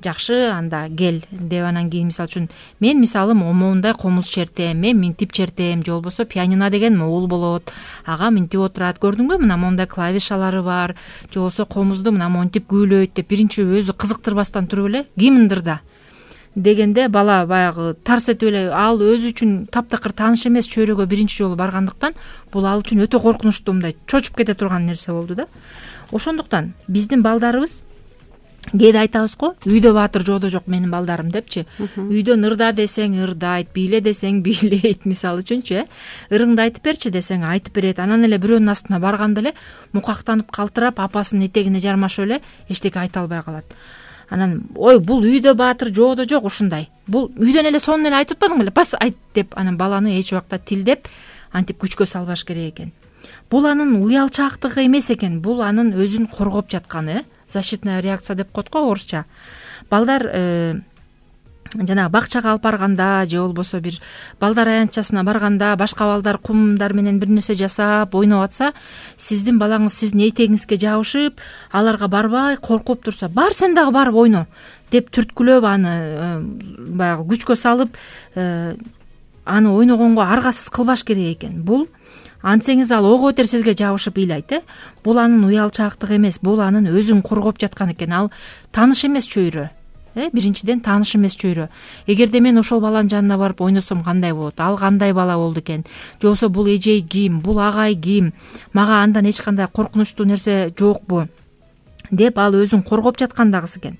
Speaker 2: жакшы анда кел деп, анан кийин мисалы үчүн мен мисалым моундай комуз чертем, мен минтип чертем, же болбосо пианино деген могул болот, ага минтип отурат, көрдүңбү мына мондай клавишалары бар, же болбосо комузду мына монтип күүлөйт деп биринчи өзү кызыктырбастан туруп эле гимндырда дегенде бала баягы тарс этип эле ал өзү үчүн таптакыр тааныш эмес чөйрөгө биринчи жолу баргандыктан бул ал үчүн өтө коркунучтуу, мындай чочуп кете турган нерсе болду да. Ошондуктан биздин балдарыбыз кээде айтабыз го, үйдө баатыр жоодо жок менин балдарым депчи. Үйдөн ырда десең ырдайт, бийле десең бийлейт, мисалы үчүнчү ырыңды айтып берчи десең айтып берет. Анан эле бирөөнүн астына барганда эле мукактанып калтырап апасынын этегине жармашып эле эчтеке айта албай калат. Анан ой бул үйдө баатыр жоодо жок ушундай. Бул үйдөн эле сонун эле айтып атпадың беле? Бас айт деп анан баланы эч убакта тилдеп антип күчкө салбаш керек экен. Бул анын уялчаактыгы эмес экен, бул анын өзүн коргоп жатканы, защитная реакция деп коет го орусча. Балдар жанагы бакчага алып барганда же болбосо бир балдар аянтчасына барганда башка балдар кумдар менен бир нерсе жасап ойноп атса, сиздин балаңыз сиздин этегиңизге жабышып, аларга барбай коркуп турса, бар сен дагы барып ойно деп түрткүлөп аны баягы күчкө салып аны ойногонго аргасыз кылбаш керек экен. Бул антсеңиз ал ого бетер сизге жабышып ыйлайт. Бул анын уялчаактыгы эмес, бул анын өзүн коргоп жаткан экен. Ал тааныш эмес чөйрө. Биринчиден тааныш эмес чөйрө. Эгерде мен ошол баланын жанына барып ойносом кандай болот? Ал кандай бала болду экен? Же болбосо бул эжей ким? Бул агай ким? Мага андан эч кандай коркунучтуу нерсе жокпу? Деп ал өзүн коргоп жаткан дагысы экен.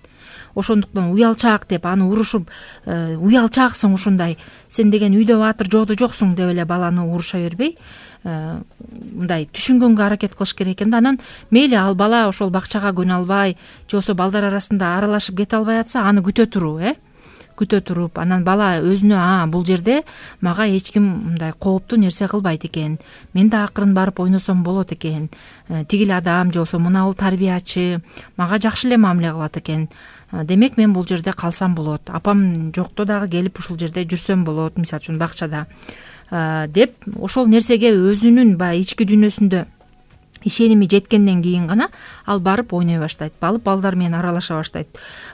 Speaker 2: Ошондуктан уялчаак деп аны урушуп, уялчааксың ушундай, сен деген үйдө баатыр жоодо жоксуң деп эле баланы уруша бербей, мындай түшүнгөнгө аракет кылыш керек экен да. Анан мейли ал бала ошол бакчага көнө албай, же болбосо балдар арасында аралашып кете албай атса, аны күтө туруу, күтө туруп, анан бала өзүнө бул жерде мага эч ким мындай кооптуу нерсе кылбайт экен, мен да акырын барып ойносом болот экен, тигил адам же болбосо мынабул тарбиячы мага жакшы эле мамиле кылат экен, демек мен бул жерде калсам болот, апам жокто дагы келип ушул жерде жүрсөм болот, мисалы үчүн бакчада деп ошол нерсеге өзүнүн баягы ички дүйнөсүндө ишеними жеткенден кийин гана ал барып ойной баштайт, балдар менен аралаша баштайт,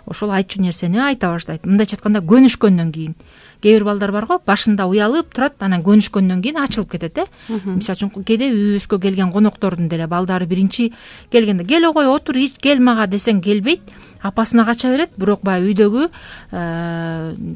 Speaker 2: ошол айтчу нерсени айта баштайт. Мындайча айтканда көнүшкөндөн кийин. Кээ бир балдар бар го, башында уялып турат, анан көнүшкөндөн кийин ачылып кетет. Мисалы үчүн кээде үйүбүзгө келген коноктордун деле балдары биринчи келгенде кел огой отур, ич кел мага десең келбейт, апасына кача берет. Бирок баягы үйдөгү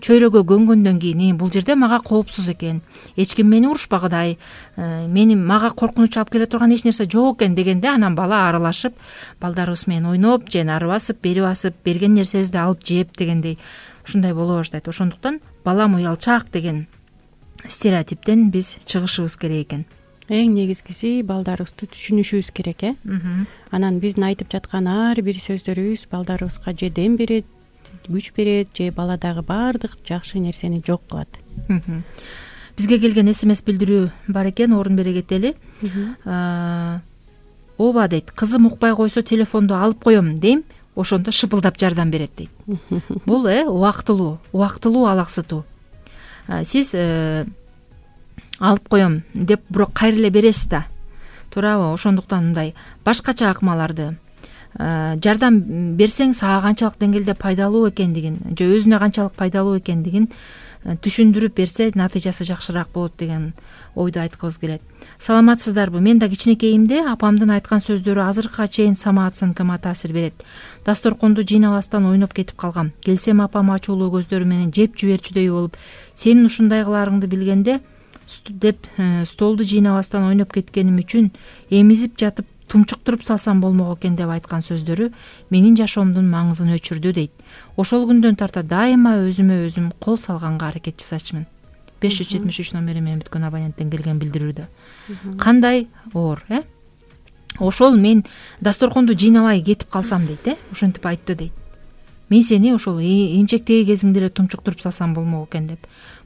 Speaker 2: чөйрөгө көнгөндөн кийин бул жерде мага коопсуз экен, эч ким мени урушпагыдай, мага коркунуч алып келе турган эч нерсе жок экен дегенде, анан бала аралашып, балдарыбыз менен ойноп, же нары басып, бери басып, берген нерсебизди алып жеп дегендей ушундай боло баштайт. Ошондуктан балам уялчаак деген стереотиптен биз чыгышыбыз керек экен.
Speaker 3: Эң негизгиси балдарыбызды түшүнүшүбүз керек. Анан биздин айтып жаткан ар бир сөздөрүбүз балдарыбызга же дем берет, күч берет, же баладагы баардык жакшы нерсени жок кылат.
Speaker 2: Бизге келген СМС билдирүү бар экен, орун бере кетели. Ооба дейт, кызым укпай койсо телефонду алып коем дейм, ошондо шыпылдап жардам берет дейт. Бул убактылуу алаксытуу. Сиз алып коем деп бирок кайра эле бересиз да, туурабы? Ошондуктан мындай башкача акмаларды жардам берсең сага канчалык деңгээлде пайдалуу экендигин, же өзүнө канчалык пайдалуу экендигин түшүндүрүп берсе натыйжасы жакшыраак болот деген ойду айткыбыз келет. Саламатсыздарбы? Мен да кичинекейимде апамдын айткан сөздөрү азыркыга чейин самооценкама таасир берет. Дасторконду жыйнабастан ойноп кетип калгам. Келсем апам ачуулуу көздөрү менен жеп жиберчүдөй болуп, сенин ушундай кылаарыңды билгенде деп столду жыйнабастан ойноп кеткеним үчүн эмизип жатып тумчуктуруп салсам болмок экен деп айткан сөздөрү менин жашоомдун маңызын өчүрдү дейт. Ошол күндөн тарта дайыма өзүмө өзүм кол салганга аракет жасачумун. 573 номери менен бүткөн абоненттен келген билдирүүдө. Кандай оор, Ошол мен дасторконду жыйнабай кетип калсам дейт, ошентип айтты дейт. Мен сени ошол эмчектеги кезиңде эле тумчуктуруп салсам болмок экен деп.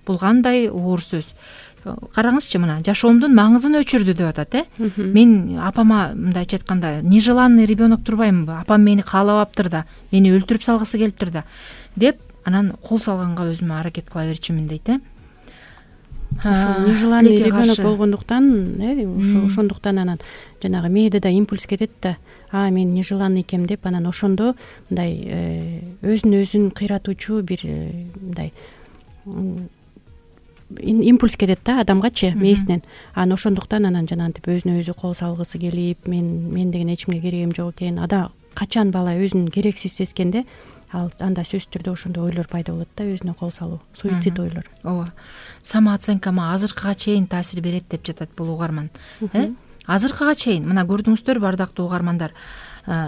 Speaker 2: Бул кандай оор сөз. Караңызчы, мына жашоомдун маңызын өчүрдү деп атат. Мен апама мындайча айтканда нежеланный ребенок турбаймынбы? Апам мени каалабаптыр да, мени өлтүрүп салгысы келиптир да деп анан кол салганга өзүмө аракет кыла берчүмүн дейт.
Speaker 3: Ошол нежеланный ребенок болгондуктан, ошондуктан анан жанагы мээде да импульс кетет да, мен нежеланный экем деп, анан ошондо мындай өзүн өзүн кыйратуучу бир мындай импульс кетет да адамгачы мээсинен. Анан ошондуктан анан жанагынтип өзүнө өзү кол салгысы келип, мен деген эч кимге керегим жок экен. Качан бала өзүн керексиз сезгенде, анда сөзсүз түрдө ошондой ойлор пайда болот да, өзүнө кол салуу, суицид ойлор.
Speaker 2: ооба, самооценкама азыркыга чейин таасир берет деп жатат бул угарман. Азыркыга чейин мына көрдүңүздөр бардактуу угармандар,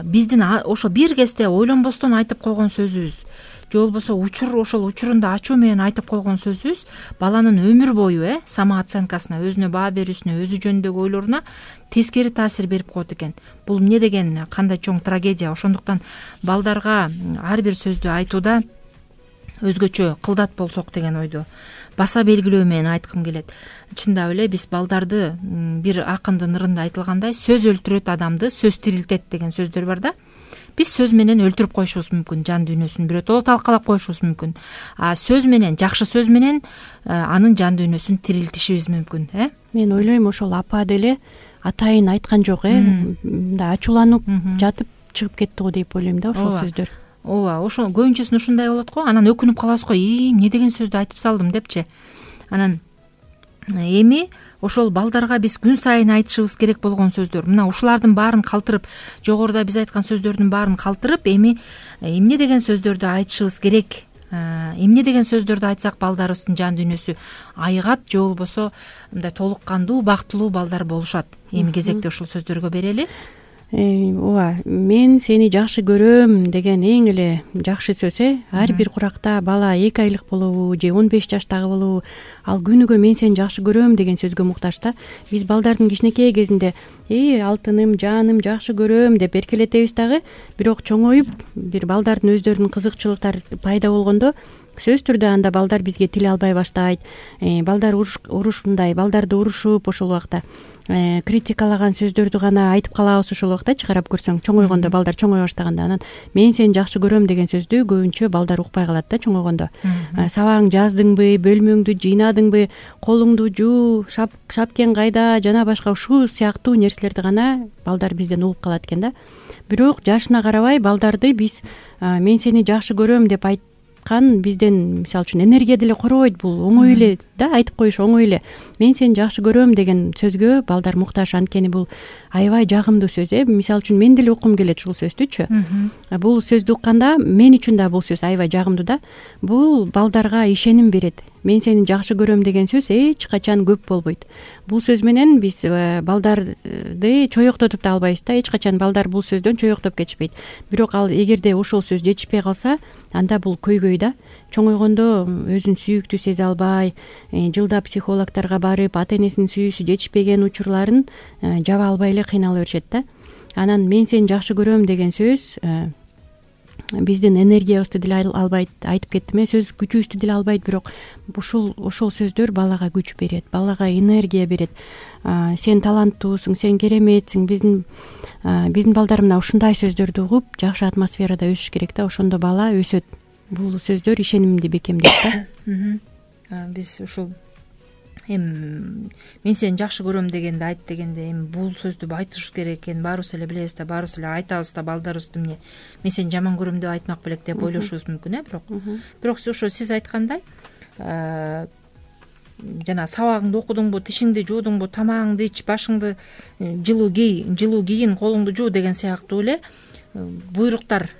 Speaker 2: биздин ошо бир кезде ойлонбостон айтып койгон сөзүбүз же болбосо ошол учурунда ачуу менен айтып койгон сөзүбүз баланын өмүр бою самооценкасына, өзүнө баа берүүсүнө, өзү жөнүндөгү ойлоруна тескери таасир берип коет экен. Бул эмне деген кандай чоң трагедия. Ошондуктан балдарга ар бир сөздү айтууда өзгөчө кылдат болсок деген ойду баса белгилөө менен айткым келет. Чындап эле биз балдарды бир акындын ырында айтылгандай сөз өлтүрөт адамды, сөз тирилтет деген сөздөр бар да. Биз сөз менен өлтүрүп коюшубуз мүмкүн, жан дүйнөсүн биротоло талкалап коюшубуз мүмкүн. Сөз менен, жакшы сөз менен анын жан дүйнөсүн тирилтишибиз мүмкүн.
Speaker 3: Мен ойлойм ошол апа деле атайын айткан жок, мындай ачууланып жатып чыгып кетти го деп ойлойм да ошол сөздөр.
Speaker 2: Ооба, ошо көбүнчөсүн ушундай болот го. Анан өкүнүп калабыз го, эмне деген сөздү айтып салдым депчи. Анан эми ошол балдарга биз күн сайын айтышыбыз керек болгон сөздөр, мына ушулардын баарын калтырып, жогоруда биз айткан сөздөрдүн баарын калтырып, эми эмне деген сөздөрдү айтышыбыз керек, эмне деген сөздөрдү айтсак балдарыбыздын жан дүйнөсү айыгат же болбосо мындай толук кандуу, бактылуу балдар болушат. Эми кезекте ушул сөздөргө берели.
Speaker 3: Ооба, мен сени жакшы көрөм деген эң эле жакшы сөз. Ар бир куракта бала 2 айлык болобу же 15 жаштагы болобу, ал күнүгө мен сени жакшы көрөм деген сөзгө муктаж да. Биз балдардын кичинекей кезинде алтыным, жаным, жакшы көрөм деп эркелетебиз дагы, бирок чоңоюп бир балдардын өздөрүнүн кызыкчылыктары пайда болгондо сөзсүз түрдө анда балдар бизге тил албай баштайт. Балдар урушкундай, балдарды урушуп ошол убакта критикалаган сөздөрдү гана айтып калабыз ошол убактачы, карап көрсөң, чоңойгондо балдар чоңой баштаганда анан мен сени жакшы көрөм деген сөздү көбүнчө балдар укпай калат да чоңойгондо. Сабагың жаздыңбы, бөлмөңдү жыйнадыңбы, колуңду жуу, шапкең кайда жана башка ушул сыяктуу нерселерди гана балдар бизден угуп калат экен да. Бирок жашына карабай балдарды биз мен сени жакшы көрөм деп бизден мисалы үчүн энергия деле коробойт. Бул оңой эле да, айтып коюш оңой эле. Мен сени жакшы көрөм деген сөзгө балдар муктаж, анткени бул аябай жагымдуу сөз. Мисалы үчүн мен деле уккум келет ушул сөздүчү. Бул сөздү укканда мен үчүн да бул сөз аябай жагымдуу да. Бул балдарга ишеним берет. Мен сени жакшы көрөм деген сөз эч качан көп болбойт. Бул сөз менен биз балдарды чоёктотуп да албайбыз да. Эч качан балдар бул сөздөн чоёктоп кетишпейт. Бирок ал эгерде ошол сөз жетишпей калса, анда бул көйгөй да. Чоңойгондо өзүн сүйүктүү сезе албай, жылда психологторго барып, ата энесинин сүйүүсү жетишпеген учурларын жаба албай эле кыйнала беришет да. Анан мен сени жакшы көрөм деген сөз биздин энергиябызды деле албайт, айтып кеттим, сөз күчүбүздү деле албайт, бирок ошол сөздөр балага күч берет, балага энергия берет. Сен таланттуусуң, сен кереметсиң. Биздин балдар мына ушундай сөздөрдү угуп, жакшы атмосферада өсүш керек да, ошондо бала өсөт. Бул сөздөр ишенимди бекемдейт да.
Speaker 2: Биз ушул мен сени жакшы көрөм дегенде, айт дегенде эми бул сөздү айтышыбыз керек экенин баарыбыз эле билебиз да, баарыбыз эле айтабыз да. Балдарыбызды эмне мен сени жаман көрөм деп айтмак белек деп ойлошубуз мүмкүн, бирок ошо сиз айткандай жана сабагыңды окудуңбу, тишиңди жуудуңбу, тамагыңды ич, башыңды жылуу кийин, колуңду жуу деген сыяктуу эле буйруктар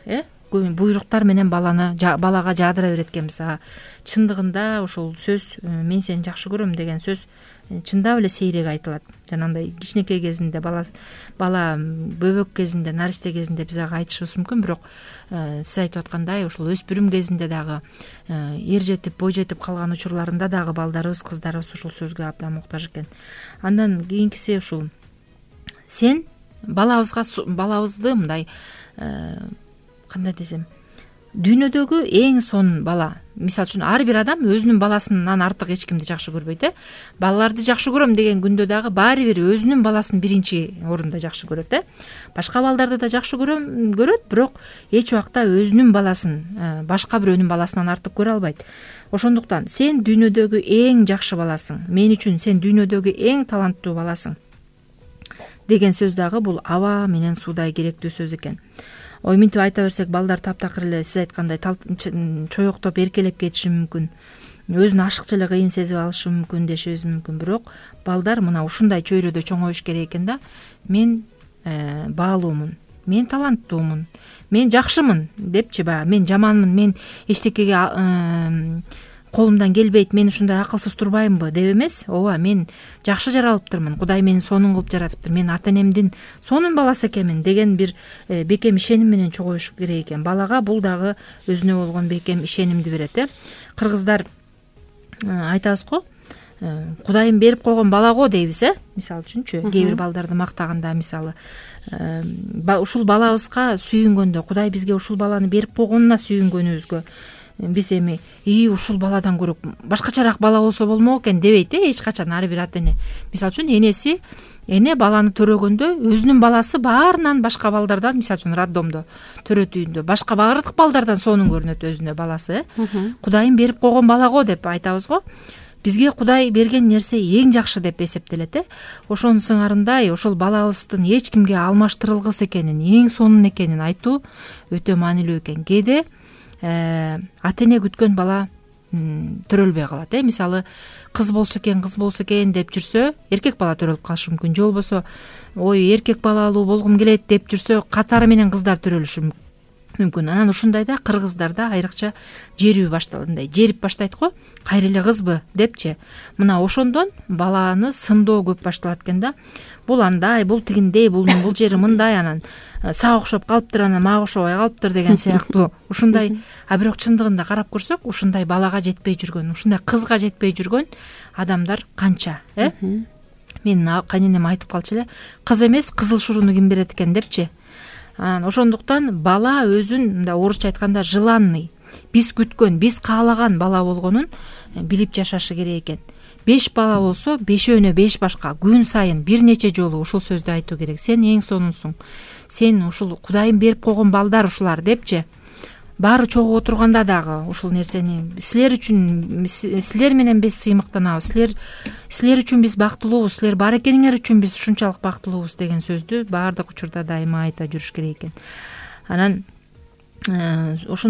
Speaker 2: буйруктар менен балага жаадыра берет экенбиз. Чындыгында ошол сөз мен сени жакшы көрөм деген сөз чындап эле сейрек айтылат. Жанагындай кичинекей кезинде бала бөбөк кезинде, наристе кезинде биз ага айтышыбыз мүмкүн, бирок сиз айтып аткандай ошол өспүрүм кезинде дагы эр жетип, бой жетип калган учурларында дагы балдарыбыз, кыздарыбыз ушул сөзгө абдан муктаж экен. Андан кийинкиси ушул сен балабызды мындай кандай десем, дүйнөдөгү эң сонун бала. Мисалы үчүн ар бир адам өзүнүн баласынан артык эч кимди жакшы көрбөйт. Балаларды жакшы көрөм деген күндө дагы баары бир өзүнүн баласын биринчи орунда жакшы көрөт. Башка балдарды да жакшы көрөт, бирок эч убакта өзүнүн баласын башка бирөөнүн баласынан артык көрө албайт. Ошондуктан сен дүйнөдөгү эң жакшы баласың. Мен үчүн сен дүйнөдөгү эң таланттуу баласың деген сөз дагы бул аба менен суудай керектүү сөз экен. Ой минтип айта берсек, балдар таптакыр эле сиз айткандай чоёктоп эркелеп кетиши мүмкүн, өзүн ашыкча эле кыйын сезип алышы мүмкүн дешибиз мүмкүн, бирок балдар мына ушундай чөйрөдө чоңоюш керек экен да. Мен баалуумун, мен таланттуумун, мен жакшымын депчи, баягы мен жаманмын, мен эчтекеге колумдан келбейт, мен ушундай акылсыз турбаймынбы деп эмес. Ооба, мен жакшы жаралыптырмын, Кудай мени сонун кылып жаратыптыр, мен ата энемдин сонун баласы экенмин деген бир бекем ишеним менен чогулуш керек экен. Балага бул дагы өзүнө болгон бекем ишенимди берет. Кыргыздар айтабыз го, Кудайым берип койгон бала го дейбиз, мисалы үчүнчү. Кээ бир балдарды мактаганда, мисалы, ушул балабызга сүйүнгөндө, Кудай бизге ушул баланы берип койгонуна сүйүнгөнүбүзгө биз эми ушул баладан көрө башкачараак бала болсо болмок экен дебейт эч качан ар бир ата эне. Мисалы үчүн эне баланы төрөгөндө өзүнүн баласы баарынан башка балдардан, мисалы үчүн роддомдо, төрө түйүндө башка баардык балдардан сонун көрүнөт өзүнө баласы. Кудайым берип койгон бала го деп айтабыз го. Бизге Кудай берген нерсе эң жакшы деп эсептелет. Ошонун сыңарындай ошол балабыздын эч кимге алмаштырылгыс экенин, эң сонун экенин айтуу өтө маанилүү экен. Кээде ата эне күткөн бала төрөлбөй калат. Мисалы, кыз болсо экен деп жүрсө, эркек бала төрөлүп калышы мүмкүн. Же болбосо, ой, эркек балалуу болгум келет деп жүрсө, катары менен кыздар төрөлүшү мүмкүн. Анан ушундайда кыргыздарда айрыкча жерүү башталгандай, жерип баштайт го, кайра эле кызбы депчи. Мына ошондон баланы сындоо көп башталат экен да. Бул андай, бул тигиндей, бул жери мындай, анан сага окшоп калыптыр, анан мага окшобой калыптыр деген сыяктуу. Ушундай, а бирок чындыгында карап көрсөк, ушундай балага жетпей жүргөн, ушундай кызга жетпей жүргөн адамдар канча, Менин кайненем айтып калчу эле, кыз эмес, кызыл шурууну ким берет экен депчи. Ошондуктан бала өзүн, мындай орусча айтканда, желанный, биз күткөн, биз каалаган бала болгонун билип жашашы керек экен. 5 бала болсо, 5-өөнө 5 башка, күн сайын бир нече жолу ушул сөздү айтуу керек. Сен эң сонунсуң. Сен ушул Кудайым берип койгон балдар ушулар депчи. Баары чогуу отурганда дагы ушул нерсени силер үчүн, силер менен биз сыймыктанабыз, силер үчүн биз бактылуубуз, силер бар экениңер үчүн биз ушунчалык бактылуубуз деген сөздү баардык учурда дайыма айта жүрүш керек экен. Анан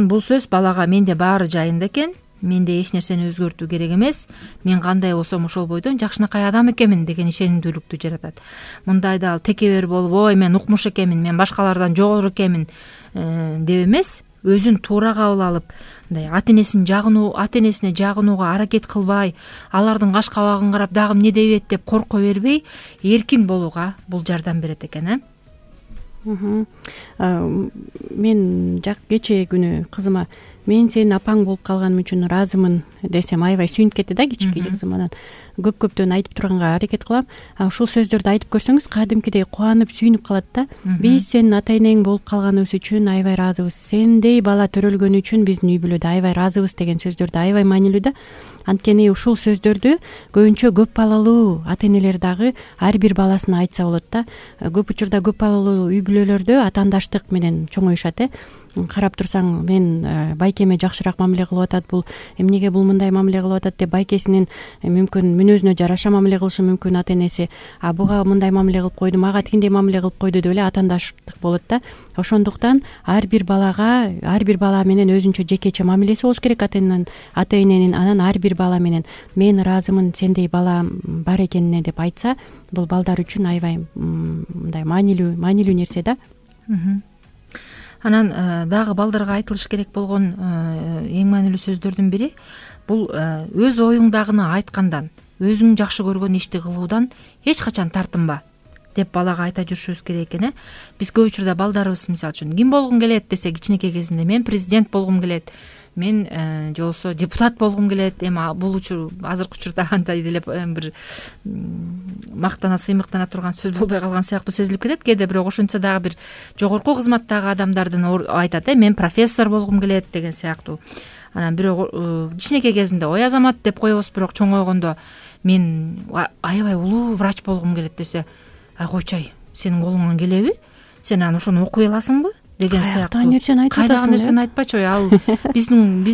Speaker 2: бул сөз балага менде баары жайында экен, менде эч нерсени өзгөртүү керек эмес, мен кандай болсом ошол бойдон жакшынакай адам экенмин деген ишенимдүүлүктү жаратат. Мындайда ал текебер болуп, ой, мен укмуш экенмин, мен башкалардан жогору экенмин деп эмес, өзүн туура кабыл алып, мындай ата энесине жагынууга аракет кылбай, алардын каш кабагын карап дагы эмне дебейт деп корко бербей, эркин болууга бул жардам берет экен.
Speaker 3: Мен кечээ күнү кызыма мен сенин апаң болуп калганым үчүн ыраазымын десем, аябай сүйүнүп кетти да кичинекей кызым. Анан көптөн айтып турганга аракет кылам. Ушул сөздөрдү айтып көрсөңүз, кадимкидей кубанып, сүйүнүп калат да. Биз сенин ата энең болуп калганыбыз үчүн аябай ыраазыбыз. Сендей бала төрөлгөнү үчүн биздин үй бүлөдө аябай ыраазыбыз деген сөздөрдү аябай маанилүү да. Анткени ушул сөздөрдү көбүнчө көп балалуу ата энелер дагы ар бир баласына айтса болот да. Көп учурда көп балалуу үй бүлөлөрдө атаандаштык менен чоңоюшат. Карап турсаң, мен байкеме жакшыраак мамиле кылып атат, бул эмнеге бул мындай мамиле кылып атат деп байкесинин мүмкүн мүнөзүнө жараша мамиле кылышы мүмкүн ата энеси. Буга мындай мамиле кылып койду, мага тигиндей мамиле кылып койду деп эле атаандаштык болот да. Ошондуктан ар бир бала менен өзүнчө жекече мамилеси болуш керек ата эненин. Анан ар бир бала менен мен ыраазымын сендей бала бар экенине деп айтса, бул балдар үчүн аябай мындай маанилүү нерсе да.
Speaker 2: Анан дагы балдарга айтылыш керек болгон эң маанилүү сөздөрдүн бири бул өз оюңдагыны айткандан, өзүң жакшы көргөн ишти кылуудан эч качан тартынба деп балага айта жүрүшүбүз керек экен. Биз көп учурда балдарыбыз, мисалы үчүн, ким болгум келет десе, кичинекей кезинде мен президент болгум келет, мен же болбосо депутат болгум келет. Эми бул азыркы учурда андай делеп бир мактана сыймыктана турган сөз болбой калган сыяктуу сезилип кетет кээде, бирок ошентсе дагы бир жогорку кызматтагы адамдардын айтат, мен профессор болгум келет деген сыяктуу. Анан бирок кичинекей кезинде ой Азамат деп коебуз, бирок чоңойгондо мен аябай улуу врач болгум келет десе, ай койчай, сенин колуңан келеби, сен анан ошону окуй аласыңбы деген сыяктуу. Кайдагы нерсени айтпачы, ал биздин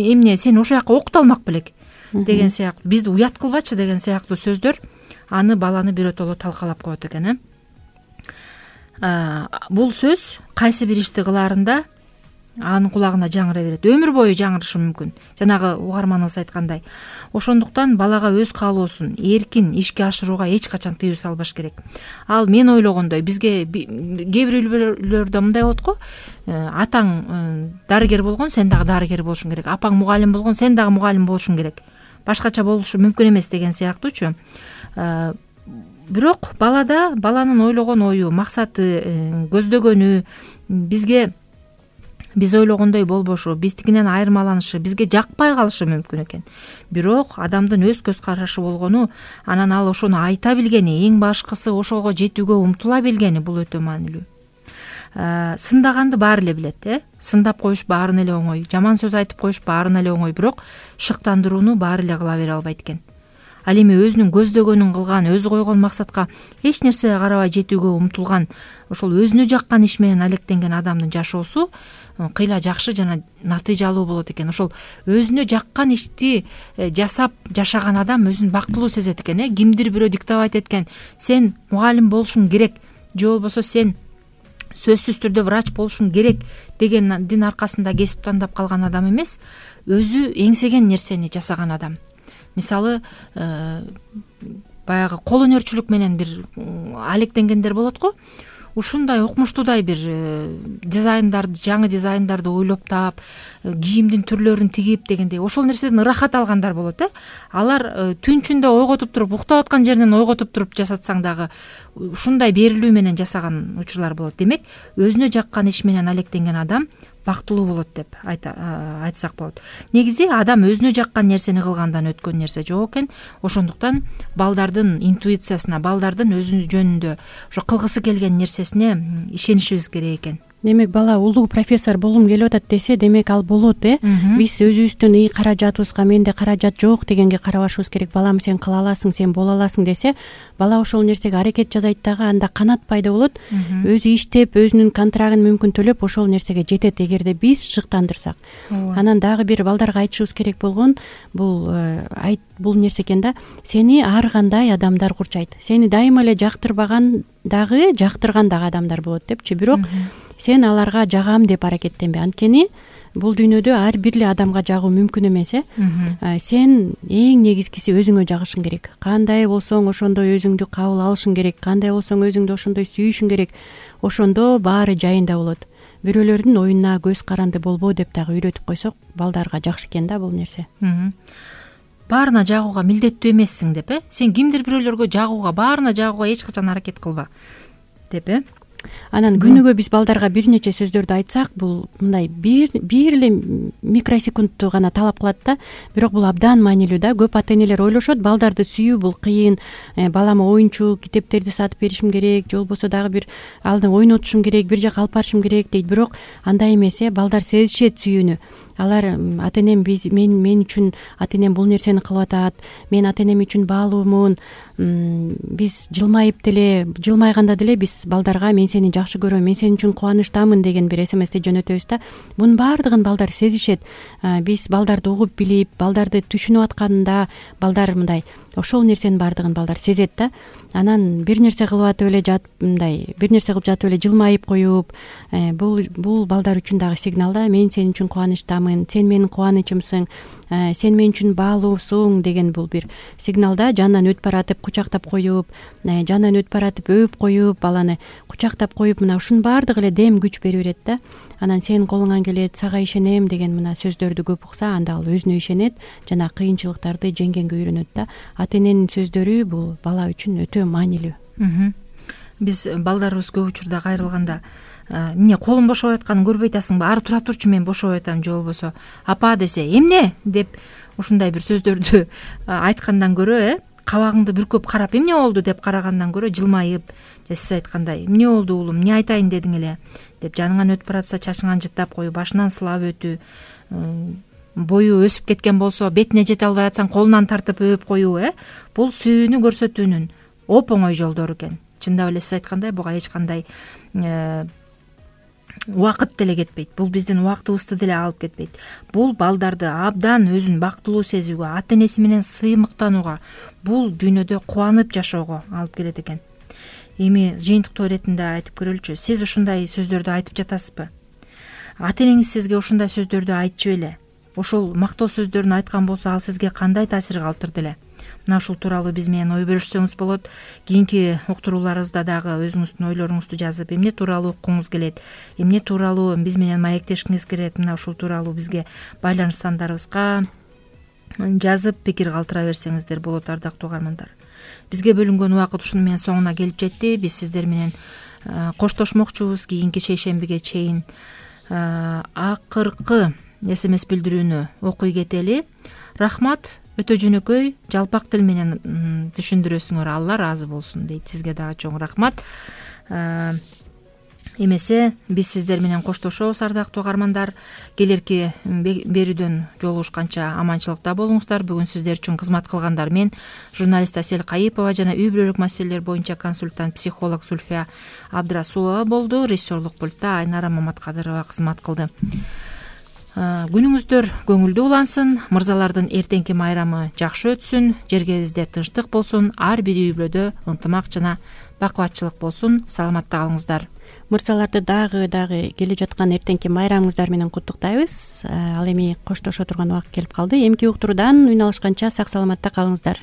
Speaker 2: эмне, сен ошол жака окута алмак белек деген сыяктуу, бизди уят кылбачы деген сыяктуу сөздөр аны баланы биротоло талкалап коет экен. Бул сөз кайсы бир ишти кылаарында анын кулагына жаңыра берет, өмүр бою жаңырышы мүмкүн, жанагы угарманыбыз айткандай. Ошондуктан балага өз каалоосун эркин ишке ашырууга эч качан тыюу салбаш керек. Ал мен ойлогондой бизге кээ бир үй-бүлөлөрдө мындай болот го, атаң дарыгер болгон, сен дагы дарыгер болушуң керек, апаң мугалим болгон, сен дагы мугалим болушуң керек, башкача болушу мүмкүн эмес деген сыяктуучу. Бирок баланын ойлогон ою, максаты, көздөгөнү биз ойлогондой болбошу, биздикинен айырмаланышы, бизге жакпай калышы мүмкүн экен. Бирок адамдын өз көз карашы болгону, анан ал ошону айта билгени, эң башкысы ошого жетүүгө умтула билгени бул өтө маанилүү. Сындаганды баары эле билет, сындап коюш баарын эле оңой, жаман сөз айтып коюш баарын эле оңой, бирок шыктандырууну баары эле кыла бере албайт экен. Ал эми өзүнүн көздөгөнүн кылган, өзү койгон максатка эч нерсеге карабай жетүүгө умтулган, ошол өзүнө жаккан иш менен алектенген адамдын жашоосу кыйла жакшы жана натыйжалуу болот экен. Ошол өзүнө жаккан ишти жасап жашаган адам өзүн бактылуу сезет экен. Кимдир бирөө диктовать эткен, сен мугалим болушуң керек, же болбосо сен сөзсүз түрдө врач болушуң керек дегендин аркасында кесип тандап калган адам эмес, өзү эңсеген нерсени жасаган адам. Мисалы, баягы кол өнөрчүлүк менен бир алектенгендер болот го. Ушундай укмуштуудай бир дизайндарды, жаңы дизайндарды ойлоп таап, кийимдин түрлөрүн тигип дегендей, ошол нерседен ырахат алгандар болот. Алар түн ичинде ойготуп туруп, уктап аткан жеринен ойготуп туруп жасатсаң дагы ушундай берилүү менен жасаган учурлар болот. Демек, өзүнө жаккан иш менен алектенген адам бактылуу болот деп айтсак болот. Негизи адам өзүнө жаккан нерсени кылгандан өткөн нерсе жок экен. Ошондуктан балдардын интуициясына, балдардын өзү жөнүндө ошо кылгысы келген нерсесине ишенишибиз керек экен.
Speaker 3: Демек, бала улуу профессор болгум келип атат десе, демек ал болот. Биз өзүбүздүн каражатыбызга менде каражат жок дегенге карабашыбыз керек. Балам, сен кыла аласың, сен боло аласың десе, бала ошол нерсеге аракет жасайт дагы, анда канат пайда болот. Өзү иштеп, өзүнүн контрагын мүмкүн төлөп ошол нерсеге жетет, эгерде биз шыктандырсак. Анан дагы бир балдарга айтышыбыз керек болгон бул нерсе экен да, сени ар кандай адамдар курчайт. Сени дайыма эле жактырбаган дагы, жактырган дагы адамдар болот депчи. Бирок сен аларга жагам деп аракеттенбе. Анткени бул дүйнөдө ар бир эле адамга жагуу мүмкүн эмес. Сен эң негизгиси өзүңө жагышың керек. Кандай болсоң ошондой өзүңдү кабыл алышың керек. Кандай болсоң өзүңдү ошондой сүйүшүң керек. Ошондо баары жайында болот. Бирөөлөрдүн оюна көз каранды болбо деп дагы үйрөтүп койсок, балдарга жакшы экен да бул нерсе.
Speaker 2: Баарына жагууга милдеттүү эмессиң деп, сен кимдир бирөөлөргө жагууга, баарына жагууга эч качан аракет кылба деп.
Speaker 3: Анан күнүгө биз балдарга бир нече сөздөрдү айтсак, бул мындай бир эле микросекундту гана талап кылат да, бирок бул абдан маанилүү да. Көп ата энелер ойлошот, балдарды сүйүү бул кыйын, балама оюнчук, китептерди сатып беришим керек, же болбосо дагы бир алдын ойнотушум керек, бир жака алып барышым керек дейт. Бирок андай эмес. Балдар сезишет сүйүүнү. Алар ата энем мен үчүн ата энем бул нерсени кылып атат, мен ата энем үчүн баалуумун. Биз жылмайганда деле биз балдарга мен сени жакшы көрөм, мен сен үчүн кубанычтамын деген бир СМСти жөнөтөбүз да. Мунун баардыгын балдар сезишет. Биз балдарды угуп билип, балдарды түшүнүп атканда балдар мындай ошол нерсенин баардыгын балдар сезет да. Анан бир нерсе кылып атып эле бир нерсе кылып жатып эле жылмайып коюп, бул балдар үчүн дагы сигнал да. Мен сен үчүн кубанычтамын, сен менин кубанычымсың, сен мен үчүн баалуусуң деген бул бир сигнал да. Жанынан өтүп баратып кучактап коюп, жанынан өтүп баратып өөп коюп, баланы кучактап коюп, мына ушунун баардыгы эле дем күч берип берет да. Анан сен колуңан келет, сага ишенем деген мына сөздөрдү көп укса, анда ал өзүнө ишенет жана кыйынчылыктарды жеңгенге үйрөнөт да. Ата эненин сөздөрү бул бала үчүн өтө маанилүү.
Speaker 2: Биз балдарыбыз көп учурда кайрылганда, эмне колум бошоп атканын көрбөй атасыңбы, ары тура турчу мен бошоп атам, же болбосо апа десе эмне деп ушундай бир сөздөрдү айткандан көрө, кабагыңды бүркөп карап эмне болду деп карагандан көрө, жылмайып, сиз айткандай эмне болду уулум, эмне айтайын дедиң эле деп жаныңан өтүп баратса чачыңан жыттап коюу, башынан сылап өтүү, бою өсүп кеткен болсо бетине жете албай атсаң колунан тартып өөп коюу, бул сүйүүнү көрсөтүүнүн оп оңой жолдору экен. Чындап эле сиз айткандай буга эч кандай убакыт деле кетпейт. Бул биздин убактыбызды деле алып кетпейт. Бул балдарды абдан өзүн бактылуу сезүүгө, ата энеси менен сыймыктанууга, бул дүйнөдө кубанып жашоого алып келет экен. Эми жыйынтыктоо иретинде айтып көрөлүчү, сиз ушундай сөздөрдү айтып жатасызбы? ата энеңиз сизге ушундай сөздөрдү айтчу беле? Ошол мактоо сөздөрүн айткан болсо ал сизге кандай таасир калтырды эле? Мына ушул тууралуу биз менен ой бөлүшсөңүз болот. Кийинки уктурууларыбызда дагы өзүңүздүн ойлоруңузду жазып, эмне тууралуу уккуңуз келет, эмне тууралуу биз менен маектешкиңиз келет, мына ушул тууралуу бизге байланыш сандарыбызга жазып пикир калтыра берсеңиздер болот, ардактуу угармандар. Бизге бөлүнгөн убакыт ушуну менен соңуна келип жетти. Биз сиздер менен коштошмокчубуз кийинки шейшембиге чейин. Акыркы SMS билдирүүнү окуй кетели. Рахмат, өтө жөнөкөй, жалпак тил менен түшүндүрөсүңөр, Алла ыраазы болсун дейт. Сизге дагы чоң рахмат. Эмесе биз сиздер менен коштошобуз, ардактуу угармандар. Келерки берүүдөн жолугушканча аманчылыкта болуңуздар. Бүгүн сиздер үчүн кызмат кылгандар мен журналист Асель Кайыпова жана үй бүлөлүк маселелер боюнча консультант психолог Зульфия Абдрасулова болду. Режиссерлук пультта Айнара Маматкадырова кызмат кылды. Күнүңүздөр көңүлдүү улансын, мырзалардын эртеңки майрамы жакшы өтсүн, жергебизде тынчтык болсун, ар бир үй бүлөдө ынтымак жана бакубатчылык болсун. Саламатта калыңыздар.
Speaker 3: Мырзаларды дагы келе жаткан эртеңки майрамыңыздар менен куттуктайбыз. Ал эми коштошо турган убакыт келип калды. Эмки уктуруудан үн алышканча сак саламатта калыңыздар.